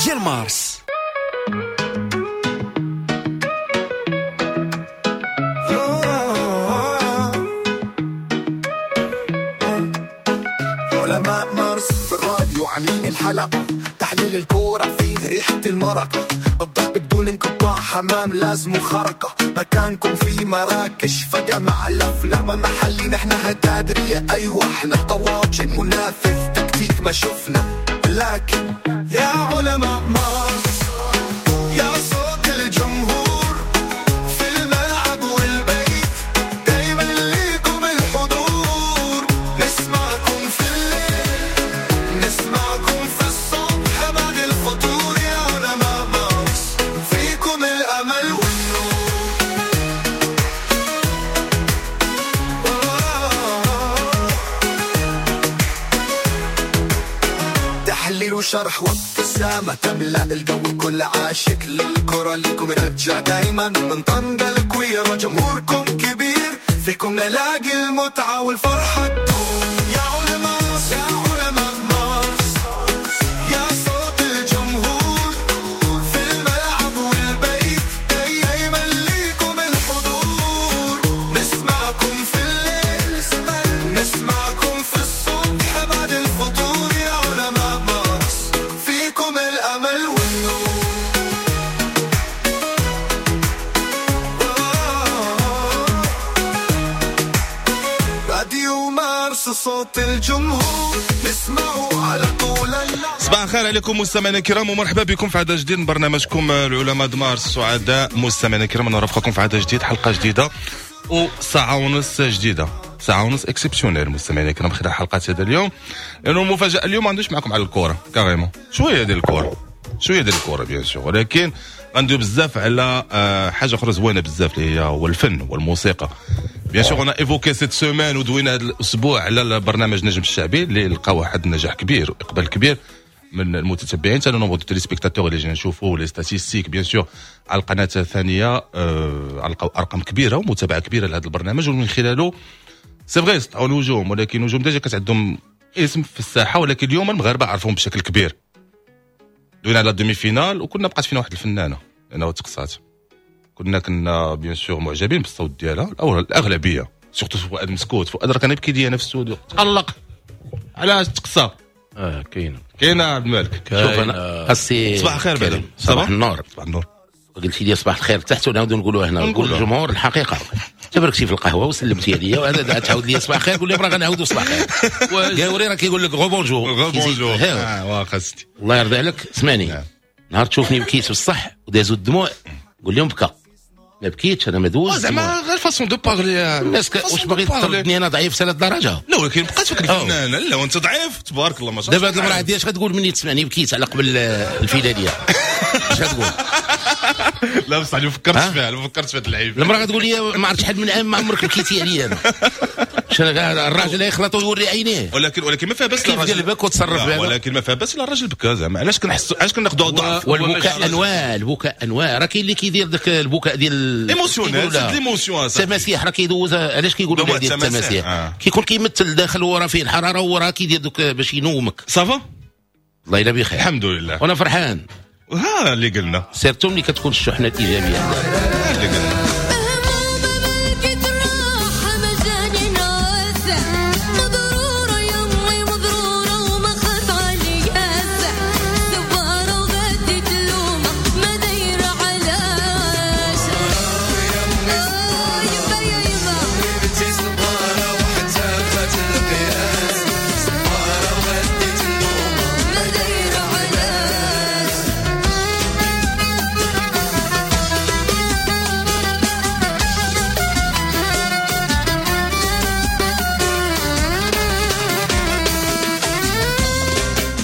ديال مارس. علماء مارس في الراديو عاملين الحلقة، تحليل الكورة فيه ريحة المرقة، الضحك بدون انقطاع، حمام لازم خرقة، مكانكم في مراكش فجأة مع الأفلام محلي، نحن هتادرية، أيوة احنا طواجن منافذ تكتيك ما شفنا، لكن يا علماء مارس يا صوت الجمهور في الملعب والبيت، دايما ليكم الحضور، نسمعكم في الليل نسمعكم في الصبح بعد الفطور، يا علماء مارس فيكم الأمل والنور. تحليل وشرح وابتسامة تملأ الجو، كل عاشق للكرة لكم رجع دايما من طنجة الكويرة، جمهوركم كبير فيكم نلاقي المتعة والفرحة تدوم. يا علماء يا علماء مارس يا صوت الجمهور في الملعب والبيت، دايما ليكم الحضور، نسمعكم في الليل نسمعكم في الصبح بعد الفطور، يا علماء مارس فيكم الأمل والنور. راديو مارس صوت الجمهور نسمعه على طول. صباح الخير عليكم مستمعينا الكرام، ومرحبا بكم في عدد جديد من برنامجكم العلماء د مارس. سعداء مستمعينا الكرام نرافقكم في عدد جديد، حلقة جديدة وساعة ونص جديدة، ساعة ونص exceptionnelle مستمعينا الكرام خلال حلقة هذا اليوم، لأنه المفاجأة اليوم ما عندوش معكم على الكرة carrément، شوية ديال الكرة، شوية ديال الكرة bien sûr، ولكن غندوي بزاف على حاجة أخرى زوينة بزاف اللي هي هو الفن والموسيقى. bien sûr on a évoqué cette semaine ودوينا هذا الأسبوع على البرنامج نجم الشعبي اللي لقى واحد النجاح كبير وإقبال كبير من المتتبعين، حتى nombre de téléspectateurs اللي جينا نشوفوا les statistiques bien sûr على القناة الثانية، لقاو ارقام كبيرة ومتابعة كبيرة لهذا البرنامج، ومن خلاله c'est vrai سطعوا نجوم، ولكن نجوم déjà كانت عندهم اسم في الساحة، ولكن اليوم المغاربة عرفوهم بشكل كبير. دوينا على demi-finale وكنا بقات فينا واحد الفنانة لانه تقصات، كنا bien sûr معجبين بالصوت ديالها الاغلبية، surtout فؤاد مسكوت. فؤاد راه كان يبكي ليا في الاستوديو، تقلق علاش تقصى. كاينه كاينه عبد الملك. شوف انا خاصي صباح الخير بعدا. صباح النور. صباح النور. قلتي لي صباح الخير تحت ونعاودو نقولوها هنا، نقول للجمهور الحقيقة. تبركتي في القهوة وسلمتي عليا وهذا تعاود لي صباح الخير، قول لي راه غنعاودو صباح الخير. قاوري راه كيقول لك rebonjour rebonjour. واخا سيدي الله يرضي عليك. اسمعني، نهار تشوفني بكيت بالصح ودازو الدموع قول لهم بكى، ما بكيتش انا ما دوزت زعما غير façon de parler. الناس واش باغي تردني انا ضعيف حتى للدرجة؟ لا ولكن بقات فيك الفنانة، لا وانت ضعيف تبارك الله ما شاء الله. دابا هاد المراة هادي اش غتقول مني تسمعني بكيت على قبل الفيلاليه؟ اش غتقول؟ لا بصح ما فكرتش فيها، ما فكرتش في هاد اللعيبة. المراة غتقول لي ما عرفت شحال من عام ما عمرك بكيتي عليا انا. الراجل يخلط ويوري عينيه. ولكن ما فيها بس الراجل كيف قلبك وتصرف بها، ولكن ما فيها بس الراجل بكى زعما. علاش كنحسوا، علاش كناخذوا ضعف؟ والبكاء انواع، البكاء انواع. راه كاين اللي كيدير داك البكاء ديال émotionnel، c'est l'émotion. التماسيح راه كيدوزها. علاش كيقولوا ديال التماسيح؟ كيكون كيمثل داخل وراه فيه الحرارة وراه كيدير دوك باش ينومك. ça va الله الا بخير الحمد لله وانا فرحان. ها اللي قلنا surtout ملي كتكون الشحنة الايجابية اللي قلنا.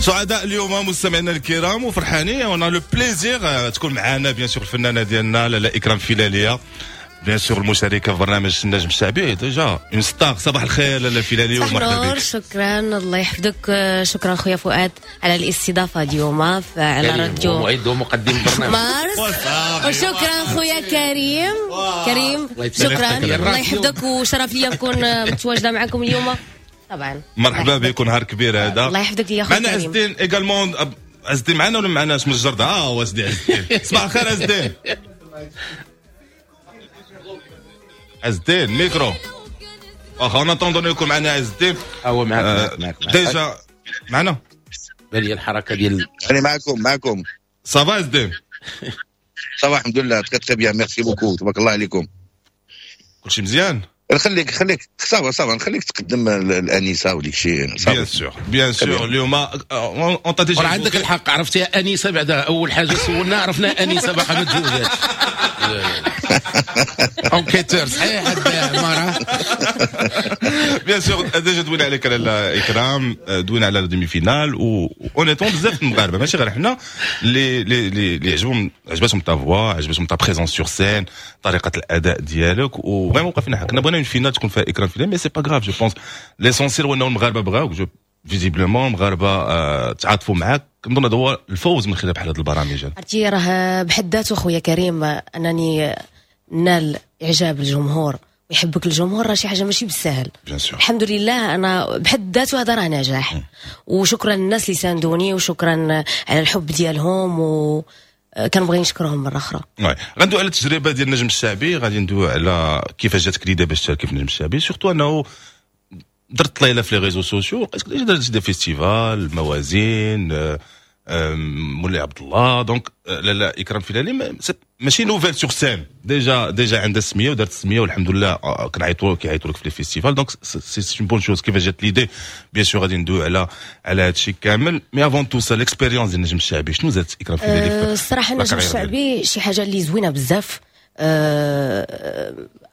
سعداء اليوم مستمعينا الكرام وفرحانين، on a le plaisir تكون معنا bien sûr الفنانة ديالنا لاله اكرام فيلاليه، bien sûr المشاركة في برنامج النجم الشعبي، déjà une star. صباح الخير لاله فيلاليه ومرحبا بك. شكرا الله يحفظك. شكرا خويا فؤاد على الاستضافة اليوم على راديو معد ومقدم برنامج مارس، وشكرا خويا كريم. كريم شكرا الله يحفظك، وشرف لي نكون متواجدة معكم اليوم. طبعا مرحبا بك، نهار كبير هذا. الله يحفظك يا خويا. معنا عز الدين également. عز الدين معنا ولا معناش من الجردة؟ هو سيدي عز الدين. صباح الخير عز الدين. عز الدين ميكرو. واخا en attendant يكون معنا عز الدين. هو معاك déjà معنا. بالي الحركة ديال انا معكم. ça va عز الدين؟ ça va الحمد لله، très très bien، merci beaucoup، تبارك الله عليكم. كلشي مزيان؟ نخليك ça va ça va، نخليك تقدم الانسة وديك الشيء. bien sûr bien sûr. اليوم on t'a déjà عندك الحق، عرفتي انيسة بعدا اول حاجة سولنا عرفنا انيسة باقا ما تزوجاتش. enquêteur صحيح هاد عمارة. bien sûr déjà دوينا عليك لاله اكرام، دوينا على demi-finale و honnêtement بزاف المغاربة ماشي غير حنا اللي اللي عجبهم، عجبتهم ta voix، عجبتهم ta présence sur scène، طريقه الاداء ديالك، و vraiment وقفنا كنا بغينا une finale تكون فيها اكرام فيلالي، mais c'est pas grave. je pense l'essentiel هو انه المغاربة بغاوك، je visiblement المغاربة تعاطفوا معاك. كنظن هذا هو الفوز من خلال بحال هذه البرامج. عرفتي راه بحد ذاته خويا كريم انني نال اعجاب الجمهور ويحبك الجمهور راه شي حاجة ماشي بالسهل. الحمد لله انا بحد ذاته هذا راه نجاح، وشكرا للناس اللي ساندوني وشكرا على الحب ديالهم، و كنبغي نشكرهم مرة اخرى. oui غندوي على التجربة ديال النجم الشعبي، غادي ندوي على كيفاش جاتك l'idée باش تشاركي في النجم الشعبي، surtout انه درت طليله في les réseaux sociaux، لقيتك déjà درت des festivals، موازين، مولاي عبد الله. donc لاله اكرام فيلالي ماشي nouvelle sur scène، déjà عندها السمية ودارت السمية والحمد لله، كنعيطوا كيعيطوا لك في les festivals، donc c'est une bonne chose. كيفاش جات l'idée؟ bien sûr غادي ندوي على هادشي كامل، mais avant tout ça l'expérience ديال النجم الشعبي شنو زادت اكرام فيلالي؟ الصراحة النجم الشعبي شي حاجة اللي زوينة بزاف،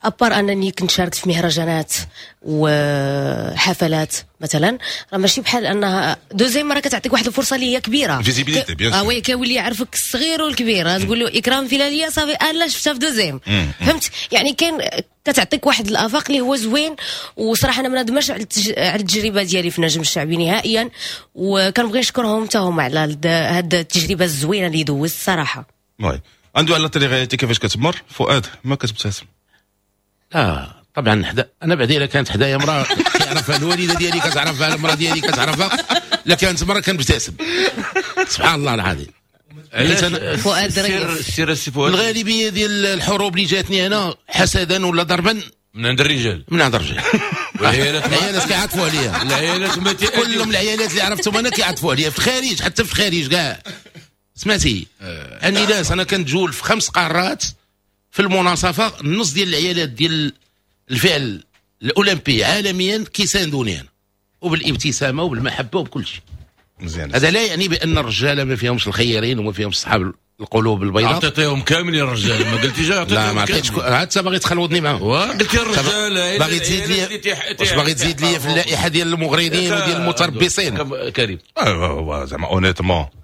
à part انني كنت شاركت في مهرجانات وحفلات مثلا، راه ماشي بحال انها deuxième مرة كتعطيك واحد الفرصة اللي هي كبيرة، visibilité bien sûr. oui كيولي يعرفك الصغير والكبير، تقول له اكرام فيلاليه صافي انا شفتها في deuxième، فهمت يعني؟ كاين كتعطيك واحد الافاق اللي هو زوين، وصراحة انا ما ندمش على التجربة ديالي في النجم الشعبي نهائيا، وكنبغي نشكرهم حتى هما على هاد التجربة الزوينة اللي دوزت الصراحة. oui عنده على télé-réalité كيفاش كتمر فؤاد ما كتبتسم؟ لا طبعا حدا انا بعدي الا كانت حدايا مراة كيعرفها الوالدة ديالي كتعرفها، المراة ديالي كتعرفها، لا كانت مراة كنبتسم. سبحان الله العظيم. فؤاد السير السي فؤاد، الغالبية ديال الحروب اللي جاتني انا حسدا ولا ضربا من عند الرجال، من عند الرجال. العيالات كيعاطفوا عليا، العيالات كلهم العيالات اللي عرفتهم انا كيعاطفوا عليا في الخارج، حتى في الخارج كاع. سمعتي اني ناس انا كنتجول في 5 قارات في المناصفه، النص ديال العيالات ديال الفعل الاولمبي عالميا كيساندوني انا، وبالابتسامه وبالمحبه وبكل شيء مزيان. هذا لا يعني بان الرجالة ما فيهمش الخيرين وما فيهمش صحاب القلوب البيضاء. عطيتيهم كاملين الرجال، ما قلتيش عطيتيهم. لا ما عطيتش، عاد باغي تخلوضني معاهم. قلتي الرجال باغي تزيد لي، واش باغي تزيد لي في اللائحة ديال المغرضين وديال المتربصين؟ كريم زعما honnêtement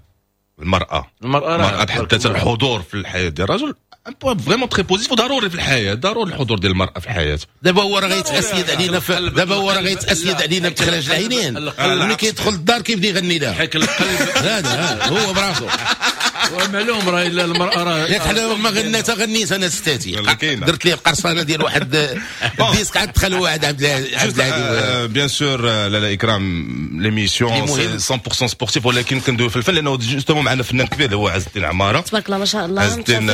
المرأة بحد ذاتها الحضور في الحياة ديال الرجل un point vraiment très positif وضروري في الحياة، ضروري الحضور ديال المرأة في الحياة. دابا هو راه غيتأسيد علينا دابا هو راه غيتأسيد علينا بتخراج العينين، ملي كيدخل الدار كيبدا يغني لها حيك القلب. هذا هو براسو معلوم راه الا المرأة راه ياك حنا ما غنيت غنيت انا ستاتي درت ليه القرصانه ديال واحد ال disque عاد دخل واحد عبد الهادي. bien sûr لاله اكرام l'émission 100% sportive، ولكن كندوي في الفن لانه justement معنا فنان كبير اللي هو عز الدين عمارة. تبارك الله ما شاء الله، عز الدين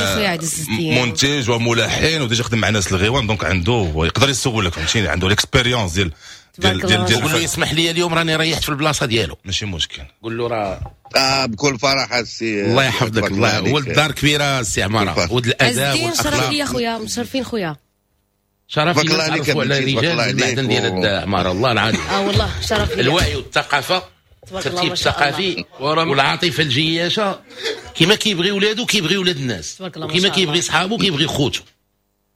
منتج وملحن و déjà خدم مع ناس الغيوان، donc عنده يقدر يسولك فهمتيني، عنده l'expérience ديال ديال ديال ديال. قول له يسمح لي اليوم راني ريحت في البلاصة ديالو، ماشي مشكل. قول له راه بكل فرح السي، الله يحفظك. الله ولد دار كبيرة السي عمارة، ولد الاداب والاخلاق. شرف لي خويا، مشرفين خويا، شرف لي نعرفوا على رجال المعدن ديال عمارة الله العظيم. والله شرف لي. الوعي والثقافة، الترتيب الثقافي والعاطفة الجياشه، كما كيبغي ولادو كيبغي ولاد الناس، وكما كيبغي صحابو كيبغي خوتو،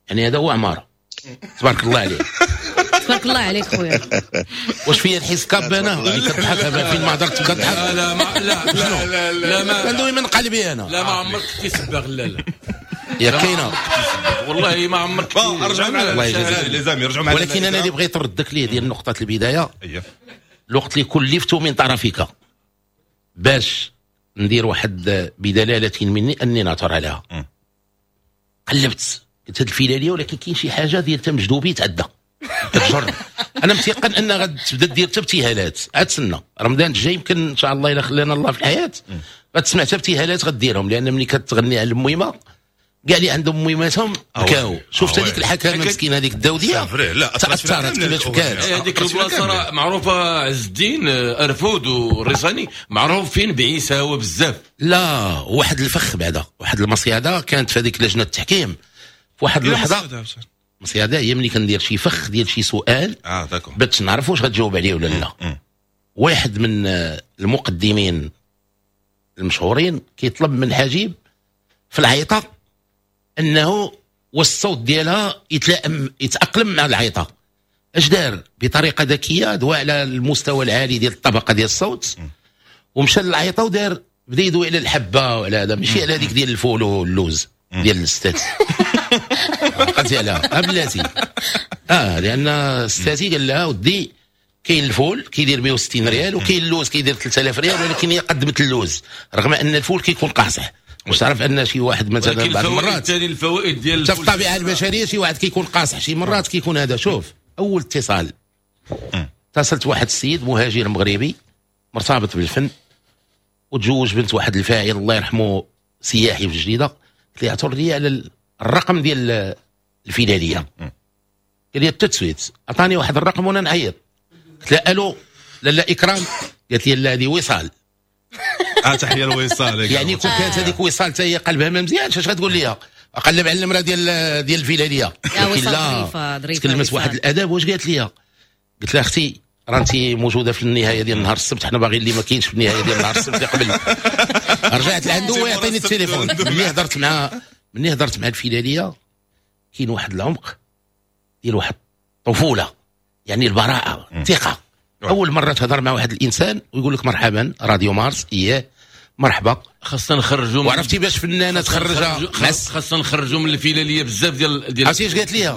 يعني هذا هو عمارة. تبارك الله عليه. تبارك الله عليك خويا. واش فيا الحس كاب انا اللي كتضحك فين ما هضرت كتضحك؟ لا ما لا لا لا ما كندوي من قلبي انا. لا ما عمرك كتسبغ. لا لا يا كاينه والله ما عمرك. رجعوا معنا les amis، رجعوا معنا. ولكن انا اللي بغيت نردك ليه ديال نقطة البداية، الوقت اللي كلفت من طرفك باش ندير واحد بدلالة مني اني نعثر عليها، قلبت قلت هاد الفيلاليه ولكن كاين شي حاجة ديال تمجدوبي تعدى كتجر. انا متيقن ان غتبدا دير حتى ابتهالات. عاد سنة رمضان الجاي يمكن ان شاء الله الا خلانا الله في الحياة غتسمع حتى ابتهالات غديرهم، لان ملي كتغني على الميمه كاع اللي عندهم ميماتهم بكاو. شفت هذيك الحكامه مسكينه هذيك الداوديه تاثرت كيفاش بكات. هذيك البلاصة راه معروفة عز الدين ارفود والريصاني معروفين بعيساوه بزاف. لا واحد الفخ بعدا، واحد المصياده كانت في هذيك لجنة التحكيم في واحد اللحظة. المصياده هي ملي كندير شي فخ ديال شي سؤال باش نعرف واش غتجاوب عليه ولا لا. واحد من المقدمين المشهورين كيطلب من حجيب في العيطه انه والصوت ديالها يتلائم يتاقلم مع العيطه. اش دار؟ بطريقة ذكية دوا على المستوى العالي ديال الطبقة ديال الصوت ومشى للعيطه ودار بدا يدوي على الحبة وعلى هذا، ماشي على هذيك ديال الفول واللوز ديال الستات. عقلتي عليها بلاتي. لان الستاتي قال لها ودي كاين الفول كيدير 160 ريال وكاين اللوز كيدير 3000 ريال، ولكن هي قدمت اللوز رغم ان الفول كيكون قاصح. واش تعرف ان شي واحد مثلا بعض المرات الفوائد ديال في الطبيعة البشرية شي واحد كيكون قاصح شي مرات كيكون هذا. شوف اول اتصال اتصلت واحد السيد مهاجر مغربي مرتبط بالفن وتزوج بنت واحد الفاعل الله يرحمه سياحي في الجديدة. قلت لي عثر لي على الرقم ديال الفيلاليه. قال لي tout de suite عطاني واحد الرقم وانا نعيط. قلت لها الو لاله اكرام. قالت لي لا هذه وصال. تحية لوصال. يعني كون كانت هذيك وصال حتى هي قلبها ما مزيانش اش غتقول ليها؟ اقلب على المراة ديال الفيلاليه. لا ظريفة تكلمت واحد الاداب. واش قالت لي؟ قلت لها اختي راه انت موجودة في النهاية ديال نهار السبت، حنا باغيين اللي ما كاينش في النهاية ديال نهار السبت قبل. رجعت لعنده ويعطيني التليفون. ملي هضرت مع الفيلاليه كاين واحد العمق ديال واحد الطفولة، يعني البراءة الثقة. اول مرة تهضر مع واحد الانسان ويقول لك مرحبا راديو مارس، اياه مرحبا. خاصنا نخرجوا، وعرفتي باش فنانة تخرجها خاصنا نخرجوا من الفيلاليه بزاف ديال عرفتي اش قالت لي؟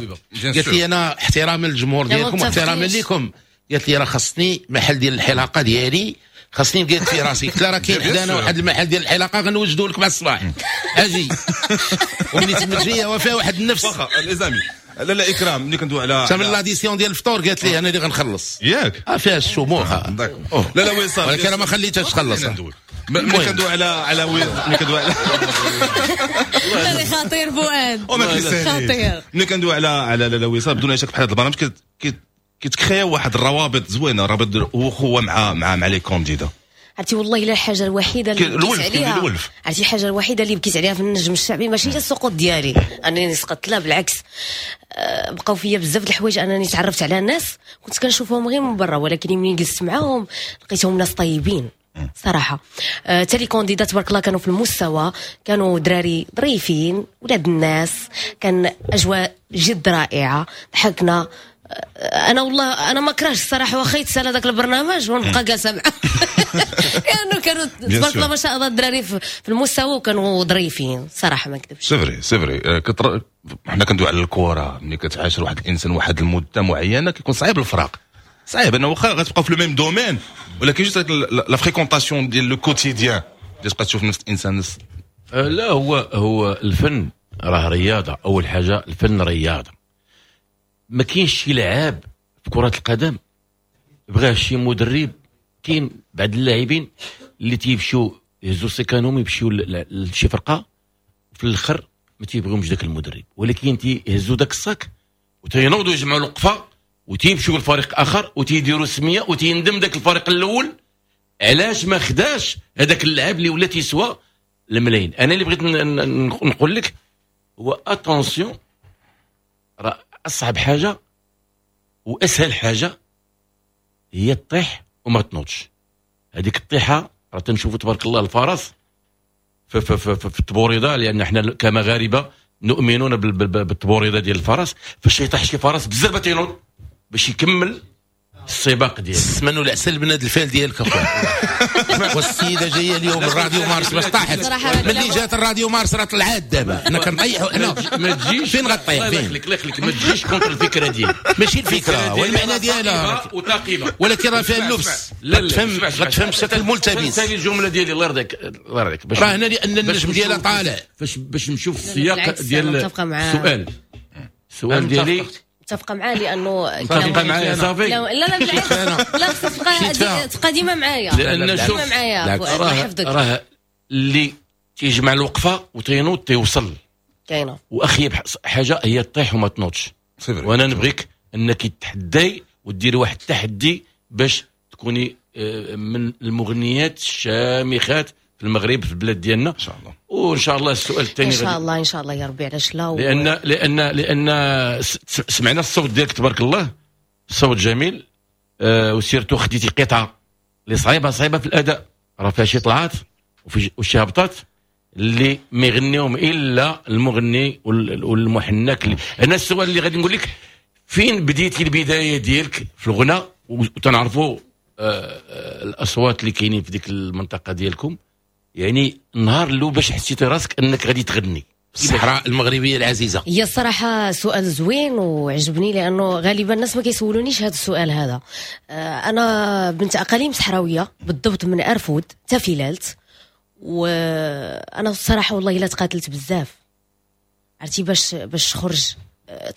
قالت لي انا احتراما للجمهور ديالكم واحتراما لكم، قالت لي راه خصني محل ديال الحلاقة ديالي، خصني نقاد في راسي. قلت لها راه كاين حدانا واحد المحل ديال الحلاقة غنوجدوا لك مع الصباح اجي. وملي تمت جاية وفيها واحد النفس. واخا les amis لا لا اكرام ملي كندوي على من l'addition ديال الفطور قالت لي انا اللي غنخلص ياك. فيها الشموخ. لا لا وصال، ولكن انا ما خليتهاش تخلص. ملي كندوي على ملي كندوي على خطير فؤاد خطير. ملي كندوي على لا وصال بدون شك بحال هذا البرنامج كيتكريا واحد الروابط زوينة، رابط اخوه مع مع مع les candidats. عرفتي والله الا الحاجة الوحيدة اللي بكيت عليها، عرفتي الحاجة الوحيدة اللي بكيت عليها في النجم الشعبي ماشي هي السقوط ديالي انني سقطت، لا بالعكس بقاو فيا بزاف د الحوايج انني تعرفت على ناس كنت كنشوفهم غير من برا، ولكن ملي جلست معاهم لقيتهم ناس طيبين صراحة. حتى les candidats تبارك الله كانوا في المستوى، كانوا دراري ظريفين ولاد الناس، كان اجواء جد رائعة، ضحكنا. انا والله انا ما كرهتش الصراحة واخا يتسالى داك البرنامج ونبقى جالسة معاه لانه كانوا تبارك الله ما شاء الله الدراري في المستوى وكانوا ظريفين صراحة ما نكذبش. c'est vrai c'est vrai. حنا كندوي على الكره، ملي كتعاشر واحد الانسان واحد المدة معينة كيكون صعيب الفراق، صعيب انه واخا غتبقى في le même domaine، ولكن juste la fréquentation ديال le quotidien تبقى تشوف نفس الانسان. لا هو الفن راه رياضة. اول حاجة الفن رياضة، ما كاينش شي لعاب في كرة القدم بغاة شي مدرب. كاين بعض اللاعبين اللي تيمشيو يهزوا سيكانهم يمشيو لشي فرقة وفي الاخر ما تيبغيهمش داك المدرب، ولكن تيهزوا داك ال sac وتينوضوا يجمعوا الوقفة وتيمشيو لفريق اخر وتيديروا سميه وتيندم داك الفريق الاول علاش ما خداش هذاك اللاعب اللي ولا تيسوى الملايين. انا اللي بغيت نقول لك هو attention، راه اصعب حاجة واسهل حاجة هي تطيح وما تنوضش. هذيك الطيحه راه تنشوفوا تبارك الله الفرس في في في, في التبوريضه، لان حنا كمغاربه نؤمنون بالتبوريضه ديال الفرس. فاش يطيح شي فرس بزاف تينوض باش يكمل السباق ديالو. السمن والعسل من هذا الفال ديالك اخويا. والسيدة جاية اليوم الراديو مارس باش طاحت، ملي جات الراديو مارس راه طلعات دابا حنا كنطيحوا حنا. ما تجيش فين غطيح؟ فين؟ الله يخليك ما تجيش contre الفكرة ديالي، ماشي الفكرة والمعنى ديالها وثاقبه، ولكن راه فيها اللبس. لا غتفهم بشكل ملتبس. ثاني الجملة ديالي الله يرضيك الله يرضيك، راه هنا لان النجم ديالها طالع. باش نشوف السياق ديال السؤال. السؤال ديالي متفقه معاه لانه متفقه معايا صافي. لا لا بالعكس، لا خصك تبقى ديما معايا، لان شوف معايا راه اللي تيجمع الوقفة وتينوض تيوصل. كاينه. واخيب حاجة هي تطيح وما تنوضش. وانا نبغيك انك تحدي وديري واحد التحدي باش تكوني من المغنيات الشامخات في المغرب في البلاد ديالنا ان شاء الله. وان شاء الله السؤال الثاني ان شاء الله، ان شاء الله يا ربي. علاش لا؟ لان لان لان سمعنا الصوت ديالك تبارك الله، صوت جميل، و surtout خديتي قطعه اللي صعيبة صعيبة في الاداء، راه فيها شي طلعات وشي هبطات اللي ما يغنيهم الا المغني والمحنك. انا السؤال اللي غادي نقول لك، فين بديتي البداية ديالك في الغناء؟ وتنعرفوا الاصوات اللي كاينين في ديك المنطقة ديالكم، يعني النهار الاول باش حسيتي راسك انك غادي تغني؟ الصحراء المغربية العزيزة. هي الصراحة سؤال زوين وعجبني، لانه غالبا الناس ما كيسولونيش هذا السؤال هذا. انا بنت اقاليم صحراويه، بالضبط من ارفود تافيلالت، وانا الصراحة والله الا تقاتلت بزاف، عرفتي، باش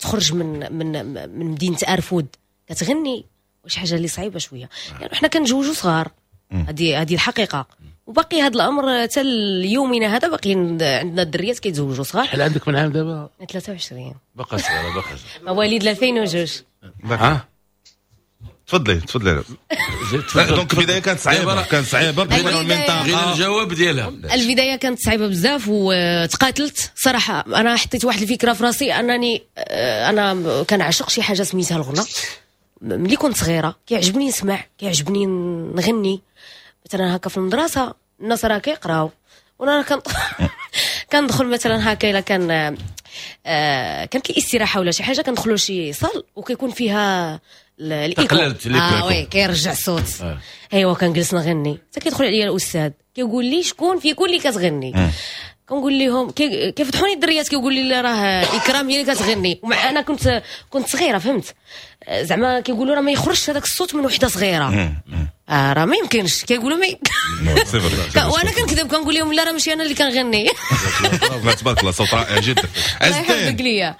تخرج من من من مدينة ارفود كتغني، واش حاجة اللي صعيبة شوية، يعني حنا كنتزوجوا صغار، هذه الحقيقة، وباقي هذا الامر حتى اليومنا هذا، باقي عندنا الدريات كيتزوجوا صغار. شحال عندك من عام دابا؟ 23. باقا صغيرة، باقا صغيرة. مواليد 2002. ها تفضلي تفضلي. donc البداية كانت صعيبة، كانت صعيبة بغينا المنطقة، بغينا الجواب ديالها. البداية كانت صعيبة بزاف وتقاتلت صراحة. انا حطيت واحد الفكرة في راسي، انني انا كنعشق شي حاجة سميتها الغنى. ملي كنت صغيرة كيعجبني نسمع، كيعجبني نغني. مثلا هكا في المدرسة الناس راه كيقراو وانا كندخل مثلا هكا، الا كان كانت الاستراحة ولا شي حاجة، كندخلوا شي salle وكيكون فيها l'écho، oui كيرجع الصوت. ايوا كنجلس نغني حتى كيدخل عليا الاستاذ كيقول لي شكون فيكم اللي كتغني؟ كنقول لهم، كيفتحوني الدريات، كيقول لي لا راه اكرام هي اللي كتغني. ومع انا كنت صغيرة، فهمت زعما، كيقولوا راه ما يخرجش هذاك الصوت من وحده صغيرة، راه ما يمكنش، كيقولوا ما وانا كنكذب، كنقول لهم لا راه ماشي انا اللي كنغني. تبارك الله صوت رائع جدا. عز الدين،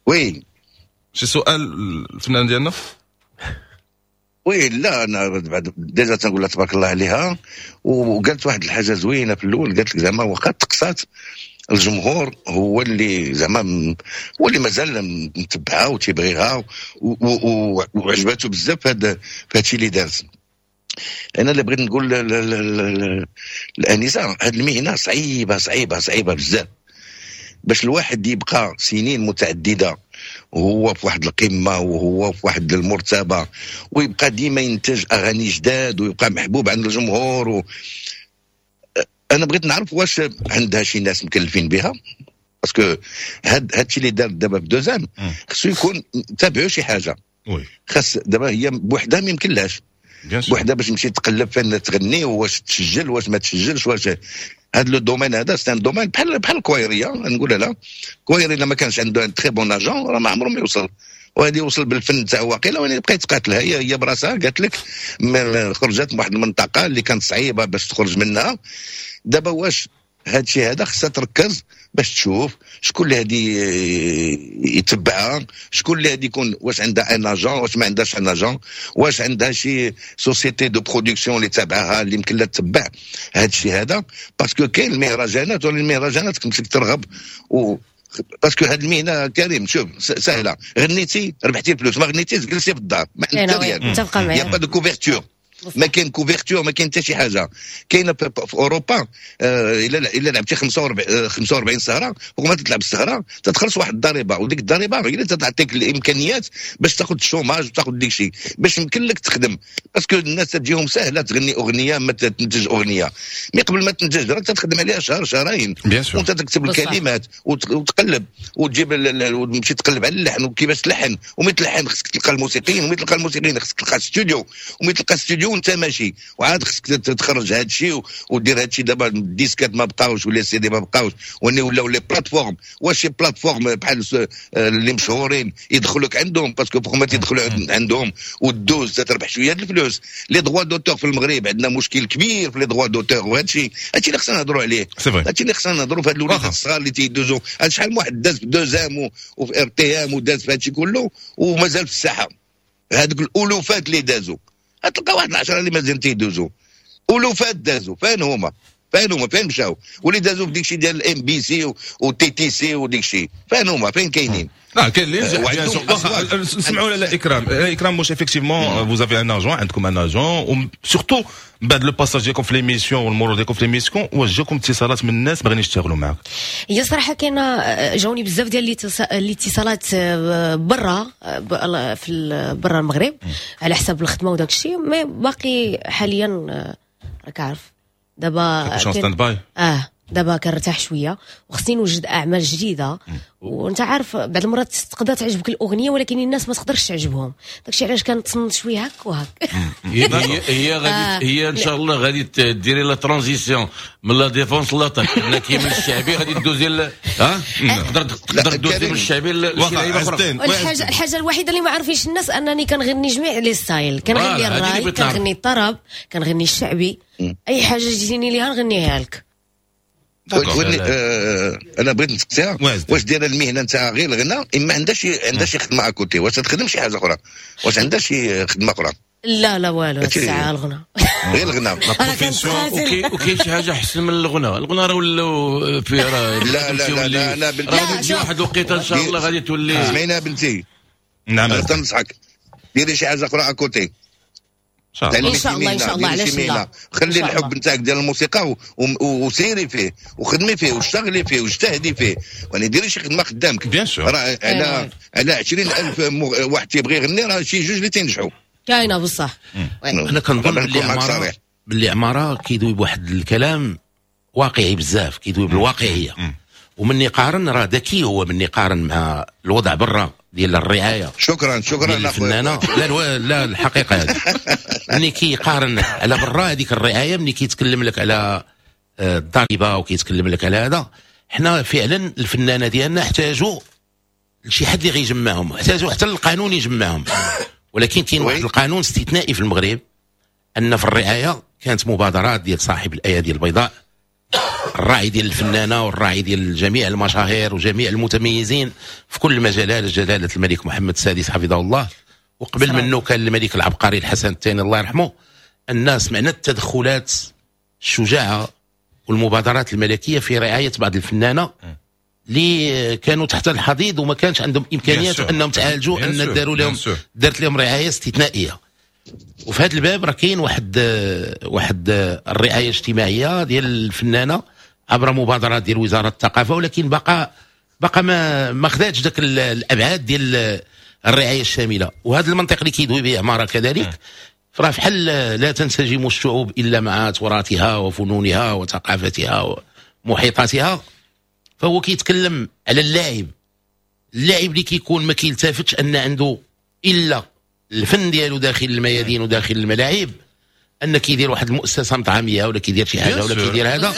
oui شي سؤال الفنان ديالنا؟ oui لا، انا بعد déjà تنقول لها تبارك الله عليها، وقالت واحد الحاجة زوينة في الاول، قالت لك زعما واخا تقصات الجمهور هو اللي زعما هو اللي مازال متبعها وتيبغيها وعجبته بزاف هذا الشيء اللي دارت. انا اللي بغيت نقول الانسة، هذه المهنة صعيبة صعيبة صعيبة بزاف، باش الواحد يبقى سنين متعددة وهو في واحد القمه وهو في واحد المرتبة، ويبقى ديما ينتج اغاني جداد ويبقى محبوب عند الجمهور. انا بغيت نعرف واش عندها شي ناس مكلفين بها، parce que هاد الشيء اللي دار دابا في دوزام خصو يكون تابعو شي حاجة. خاص دابا هي بوحدها ما يمكنلهاش بوحدها باش تمشي تقلب فين تغني، واش تسجل واش ما تسجلش، واش هذا le domaine هذا c'est un domaine بحال الكوايريه، نقولها لا كوايري الا ما كانش عنده un très bon agent راه ما عمره ما يوصل، وهذه يوصل بالفن تاعو واقيلا، وين بقى يتقاتل. هي براسها قالت لك خرجت من واحد المنطقة اللي كانت صعيبة باش تخرج منها. دابا واش هذا الشيء هذا خصها تركز باش تشوف شكون اللي هادي يتبعها، شكون اللي هادي يكون، واش عندها un agent، واش ما عندهاش un agent، واش عندها شي société de production اللي تابعها اللي يمكن لها تتبع هذا الشيء هذا، parce que كاين المهرجانات، ولا المهرجانات كنت ترغب و parce que هذه المهنة كريم شوف سهلة، غنيتي ربحتي الفلوس، ما غنيتيش جلستي في الدار ما عندك ريال، متفقه معاك، y a pas de couverture، ما كاين couverture، ما كاين حتى شي حاجة. كاينه في اوروبا، الا لعبتي 45 سهره، فوق ما تلعب السهرة تتخلص واحد الضريبه، وديك الضريبة هي اللي تعطيك الامكانيات باش تاخذ ال chômage وتاخذ ديك الشيء باش يمكن لك تخدم، parce que الناس تجيهم سهلة تغني اغنية ما تنتج اغنية، mais قبل ما تنتج راك تخدم عليها شهر شهرين، وانت تكتب الكلمات وتقلب وتجيب وتمشي تقلب على اللحن وكيفاش تلحن، ومن تلحن خصك تلقى الموسيقيين، ومن تلقى الموسيقيين خصك تلقى استوديو، ومن تلقى استوديو وانت ماشي، وعاد خصك تخرج هذا الشيء ودير هذا الشيء. دابا الديسكات ما بقاوش ولا السي دي ما بقاوش، ولاو les plateformes. واش شي plateforme بحال اللي مشهورين يدخلوك عندهم؟ parce que فوق ما تيدخلوا عندهم ودوز تربح شوية الفلوس. les droits d'auteur في المغرب عندنا مشكل كبير في les droits d'auteur، وهذا الشيء هادشي اللي خصنا نهضروا عليه، هادشي اللي خصنا نهضروا في هاد الوليدات الصغار اللي تيدوزوا. شحال من واحد داز في دوزام وفي RTM وداز في هادشي كله ومازال في الساحة، هذوك الالوفات اللي دازوا تلقى واحد العشرة اللي مازال تيدوزوا، الوفات دازوا، فين هما؟ فين هما؟ فين مشاو؟ واللي دازوا في ديك الشيء ديال ال MBC و TTC وديك الشيء، فين هما؟ فين كاينين؟ لا كاين اللي نجح. سمعوا لا اكرام، اكرام واش effectivement vous avez un agent، عندكم un agent، و surtout بعد le passage ديالكم في l'émission والمرور ديالكم في l'émission، واش جاكم اتصالات من الناس باغيين يشتغلوا معاك؟ هي صراحة كاينه، جاوني بزاف ديال الاتصالات برا، في برا المغرب على حساب الخدمة وداك الشيء، mais باقي حاليا راك عارف دابا stand-by. دابا كنرتاح شوية وخصني نوجد اعمال جديدة، وانت عارف بعض المرات تقدر تعجبك الاغنية ولكن الناس ما تقدرش تعجبهم، داكشي علاش كنتصنت شوية هك وهك. هي غادي هي ان شاء الله غادي ديري la transition من la défense l'attaque، انك من الشعبي غادي دوزي ها تقدر دوزي من الشعبي لشي لعيبة اخرى. الحاجة الوحيدة اللي ما عارفينش الناس انني كنغني جميع les styles، كنغني الراي، كنغني الطرب، كنغني الشعبي، اي حاجة جيتيني ليها نغنيها لك. انا بغيت نسقسيها، واش دايرة المهنة نتاع غير الغناء، اما عندها شي خدمة à côté، واش تخدم شي حاجة اخرى؟ واش عندها شي خدمة اخرى؟ لا لا والو، الساعة الغناء غير الغناء. وكاين شي حاجة احسن من الغناء؟ الغناء راه ولاو فيه راه لا لا لا لا لا، شي واحد الوقيته ان شاء الله غادي تولي. سمعينا بنتي، نعم تنصحك ديري شي حاجة اخرى à côté ان شاء الله. ان شاء الله، علاش لا؟ خلي الحب نتاعك ديال الموسيقى وسيري فيه وخدمي فيه واشتغلي فيه واجتهدي فيه، يعني ديري شي خدمة قدامك. bien sûr راه على 20000 واحد تيبغي يغني راه شي جوج اللي تينجحوا. كاينه بصح. انا كنظن باللي عمارة كيدوي بواحد الكلام واقعي بزاف، كيدوي بالواقعيه، ومن يقارن راه ذكي هو، من يقارن مع الوضع برا ديال الرعاية. شكرا شكرا الفنانة. لا لا الحقيقة هذه ملي كيقارن على برا هذيك الرعاية، ملي كيتكلم لك على الضريبة وكيتكلم لك على هذا، حنا فعلا الفنانة ديالنا احتاجوا لشي حد اللي غيجمعهم، احتاجوا حتى القانون يجمعهم. ولكن كاين واحد القانون استثنائي في المغرب، ان في الرعاية كانت مبادرات ديال صاحب الايادي البيضاء، الراعي ديال الفنانة والراعي ديال جميع المشاهير وجميع المتميزين في كل المجالات، جلاله الملك محمد السادس حفظه الله، وقبل منه كان الملك العبقري الحسن الثاني الله يرحمه. الناس معنا التدخلات الشجاعة والمبادرات الملكية في رعاية بعض الفنانة اللي كانوا تحت الحضيض وما كانش عندهم امكانيات انهم تعالجوا، ان داروا لهم دارت لهم رعاية استثنائية. وفي هذا الباب راه كاين واحد الرعاية الاجتماعية ديال الفنانة عبر مبادرات ديال وزارة الثقافة، ولكن بقى ما خداتش داك الابعاد ديال الرعاية الشاملة. وهذا المنطق اللي كيدوي به عمارة كذلك، فراه فحال لا تنسجم الشعوب الا مع تراثها وفنونها وثقافتها ومحيطاتها. فهو كيتكلم على اللاعب اللي كيكون ما كيلتفتش ان عنده الا الفن ديالو داخل الميادين وداخل الملاعب، ان كيدير واحد المؤسسة مطعميه ولا كيدير شي حاجة ولا كيدير هذا،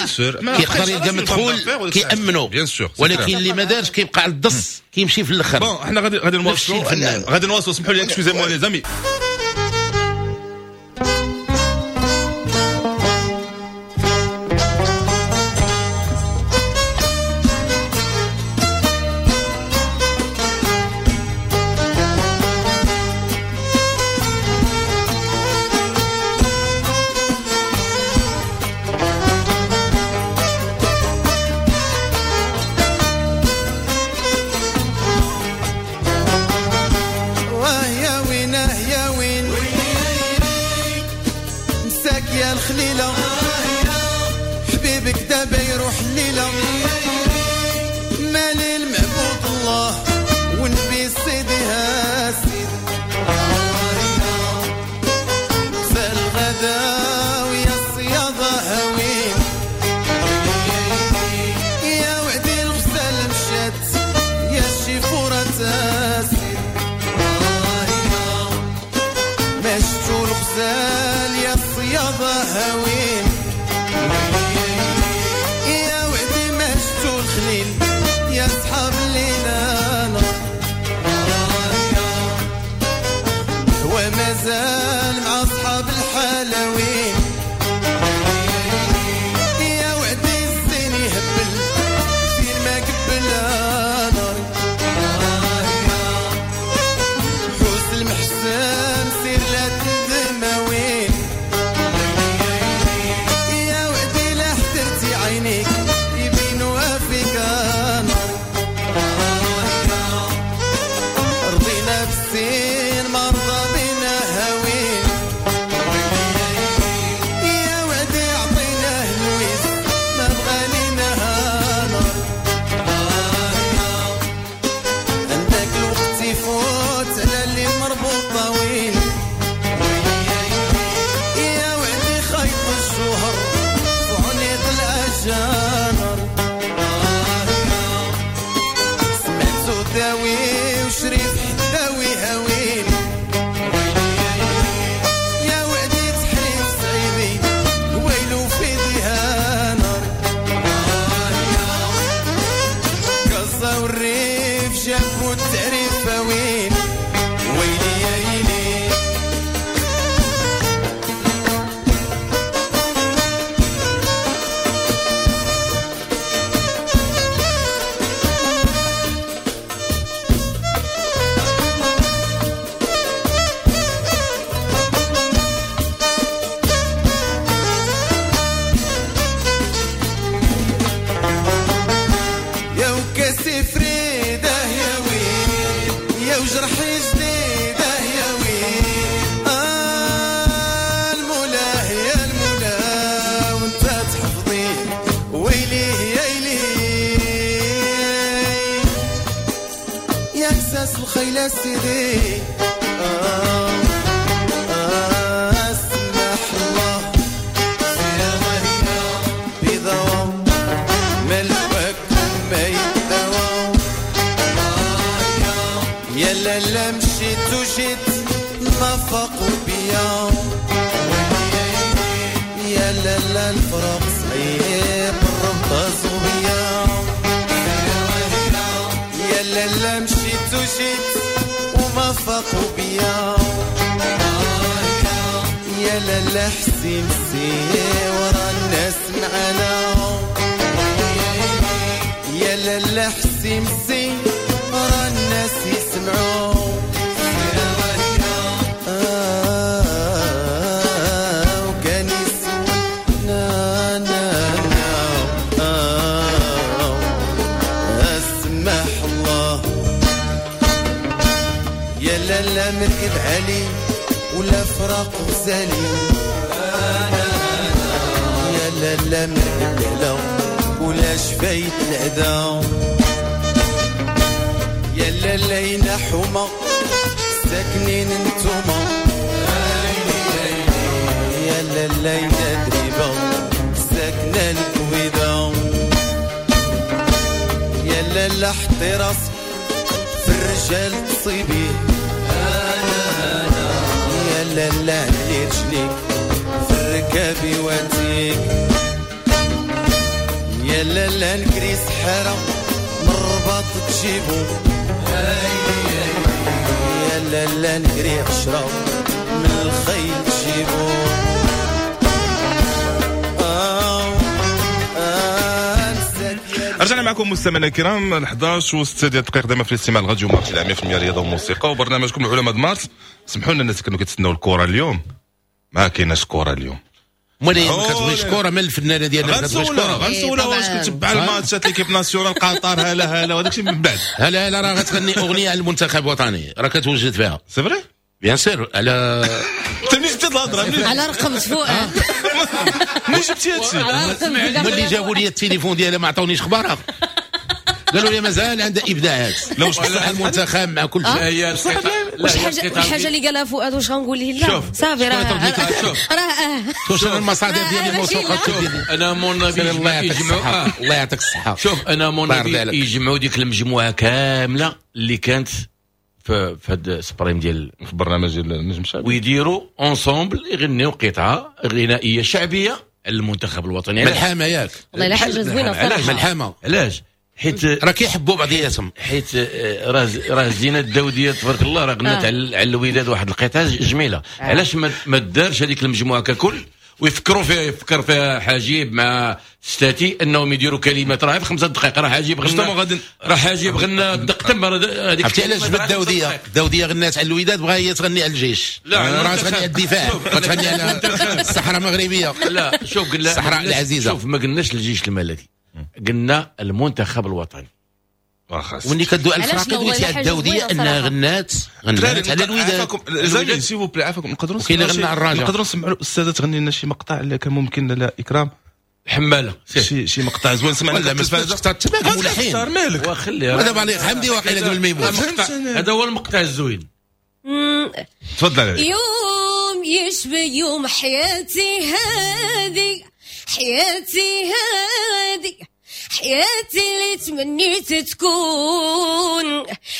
كيقدر يلقى مدخول كيامنو، ولكن اللي ما دارش كيبقى على الدص كيمشي في الاخر. bon حنا غادي نواصلوا، سمحوا لي excusez-moi les amis. يا وعدي لا حدرت الحناوي وشريف حداوي هاوين يا وعدي تحريف صعيبي ويلو في ديها نار كازا والريف جابو التعريف وين ويلي يا يلي الخيل سيدي اسمح الله بضوى ملوك ما يدوى يا لا مشيت وجيت ما فاقوا بيا يا لا الفراق صعيب الربطة زوبيا يا لا مشيت وجيت وما فاقوا بيا يا لا حسين سي ورا الناس معانا يا لا حسين سي ورا الناس يسمعوا وكان يسول نا نا نا اسمح الله يا لا مركب علي ولا فراق غزالي يا لا مركب العلا ولا شفايت العدا يا لا حومة ساكنين انتوما يا لا دريبة ساكنة الكويدة يا لا حطي راسك في الرجال تصيبيه يا لا علي رجليك في الركابي واتيك يا لا نكري سحارة من الرباط تجيبو يا لا نكري 10 من الخيل تجيبو رجعنا معكم مستمعينا الكرام 11:06 دقائق دائما في الاستماع لراديو مارس 100% رياضة وموسيقى وبرنامجكم العلماء مارس. سمحوا لنا الناس كانوا كيتسناو الكره اليوم، ما كايناش كره اليوم. مالي ما كتبغيش كره من الفنانة ديالنا ما كتبغيش كره. غنسولها واش كتبع الماتشات l'équipe nationale قطر هلا هلا وهذاك الشيء من بعد. هلا هلا راه غتغني اغنية على المنتخب الوطني راه كتوجد فيها. c'est vrai bien sûr على انت منين جبتي الهضرة؟ على رقم فؤاد منين جبتي هادشي؟ ملي جابوا لي التليفون ديالها ما عطاونيش خبارها، قالوا لي مازال عندها ابداعات. لا واش بصح المنتخب مع كل شيء. واش الحاجة اللي قالها فؤاد واش غنقول ليه؟ لا صافي راه راه واش المصادر ديالي موثوقة. انا mon avis الله يعطيك الصحة، الله يعطيك الصحة. شوف انا mon avis يجمعوا ديك المجموعة كاملة اللي كانت في هاد سبريم ديال في برنامج ديال النجم الشعبي ويديروا ensemble يغنيو قطعه غنائية شعبية على المنتخب الوطني. ملحمة ياك والله الا حاجة زوينة صراحة. ملحمة علاش؟ حيت راه كيحبوا بعضياتهم، حيت راه زينة الداوديه تبارك الله راه غنات على الوداد واحد القطعة جميلة. علاش ما دارش هذيك المجموعة ككل ويفكروا فيها؟ يفكر فيها حجيب مع ستاتي انهم يديروا كلمات راه في 5 دقائق راه حجيب غنى، راه حجيب غنى دق تم هذيك. عرفتي علاش جبت الداوديه؟ الداوديه غنات على الوداد، بغا هي تغني على الجيش، راه تغني على الدفاع، تغني على الصحراء المغربية. لا شوف قلنا الصحراء العزيزة. شوف ما قلناش الجيش الملكي، قلنا المنتخب الوطني. وملي كدوي على الفراقي دويتي على الداوديه انها غنات على الوداد. زين s'il vous plaît عافاكم نقدروا نقدروا نسمعوا الاستاذة تغني لنا شي مقطع اللي كان ممكن لا اكرام حماله شي مقطع زوين سمعنا. لا ما تماك مالك وخليها هذا بالي حمدي واقيلا قبل ما يموت. هذا هو المقطع الزوين. تفضل. يوم يشبه يوم حياتي هذه، حياتي هذه، حياتي اللي تمنيت تكون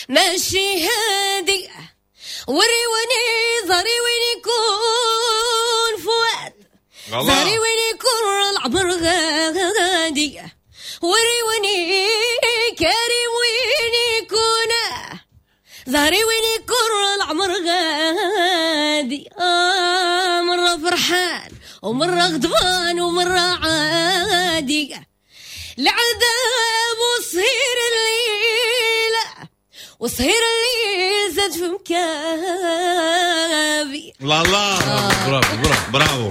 ماشي هادي، وريوني زهري وين يكون فؤاد، زهري وين يكون العمر غادي، وريوني كريم وين يكون، زهري وين يكون العمر غادي. مرة فرحان ومرة غضبان ومرة عادي، العذاب وصهير الليل، وصهير الليل زاد في مكابي. لا لا برافو برافو برافو،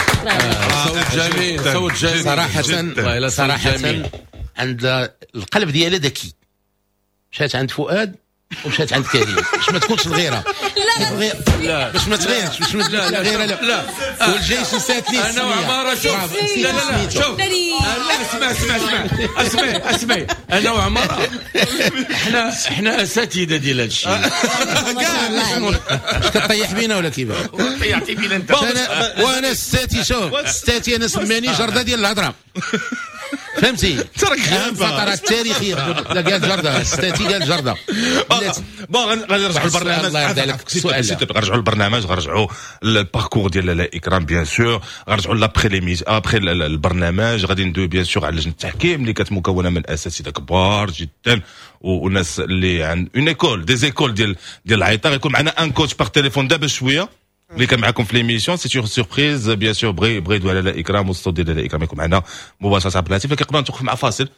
صوت جميل، صوت جميل صراحة. صراحة عند القلب ديالها ذكي، مشات عند فؤاد ومشات عند كريم باش ما تكونش الغيرة. لا لا باش ما تغيرش، باش ما تكونش الغيرة. لا لا، والجيش نسات ليه. انا وعمارة شوف، لا لا لا شوف، لا اسمع اسمع اسمع اسمع اسمع، انا وعمارة احنا اساتذة ديال هذا الشيء. كاع كطيح بينا ولا كيفاش؟ طيحتي بينا انت. وانا ستاتي، شوف ستاتي انا سماني جرده ديال الهضرة، فهمتي؟ اهم فترات التاريخية. لا قال جرده، ستاتي قال جرده. bon غادي نرجعوا للبرنامج. الله يرضي عليك. غنرجعوا للبرنامج، غنرجعوا لل parcours ديال لاله اكرام bien sûr، غنرجعوا l'après après البرنامج، غادي ندوي bien sûr على لجنة التحكيم اللي كانت مكونة من اساتذة كبار جدا وناس اللي عند une école des écoles ديال العيطه. غيكون معنا un coach par téléphone دابا شوية اللي كان معكم في l'émission، c'est une surprise bien sûr. بغي يدوي على لاله اكرام والصوت ديال لاله اكرام يكون معنا مباشرة عبر الهاتف. لكن قبل نتوقف مع فاصل.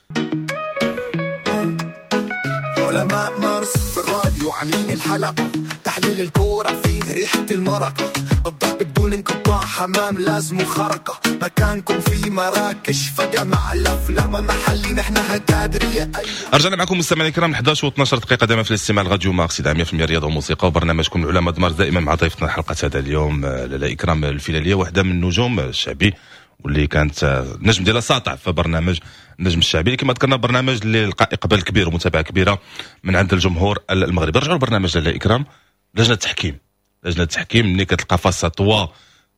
علماء مارس في الراديو عاملين الحلقة، تحليل الكورة فيه ريحة المرق، الضرب بدون انقطاع، حمام لازم خرقة، مكانكم في مراكش فجمع الأفلام محلي نحن هتادرية. رجعنا معكم مستمعينا الكرام 11 و12 دقيقة دائما في الاستماع لراديو مارس 100% رياضة وموسيقى وبرنامجكم العلماء دمار دائما مع ضيفتنا حلقة هذا اليوم لاله إكرام الفيلالية، واحدة من النجوم الشعبي واللي كانت النجم ديالها ساطع في برنامج النجم الشعبي، كما ذكرنا برنامج اللي لقى اقبال كبير ومتابعة كبيرة من عند الجمهور المغربي. رجعوا لبرنامج لاله إكرام، لجنة التحكيم. لجنة التحكيم ملي كتلقى face à toi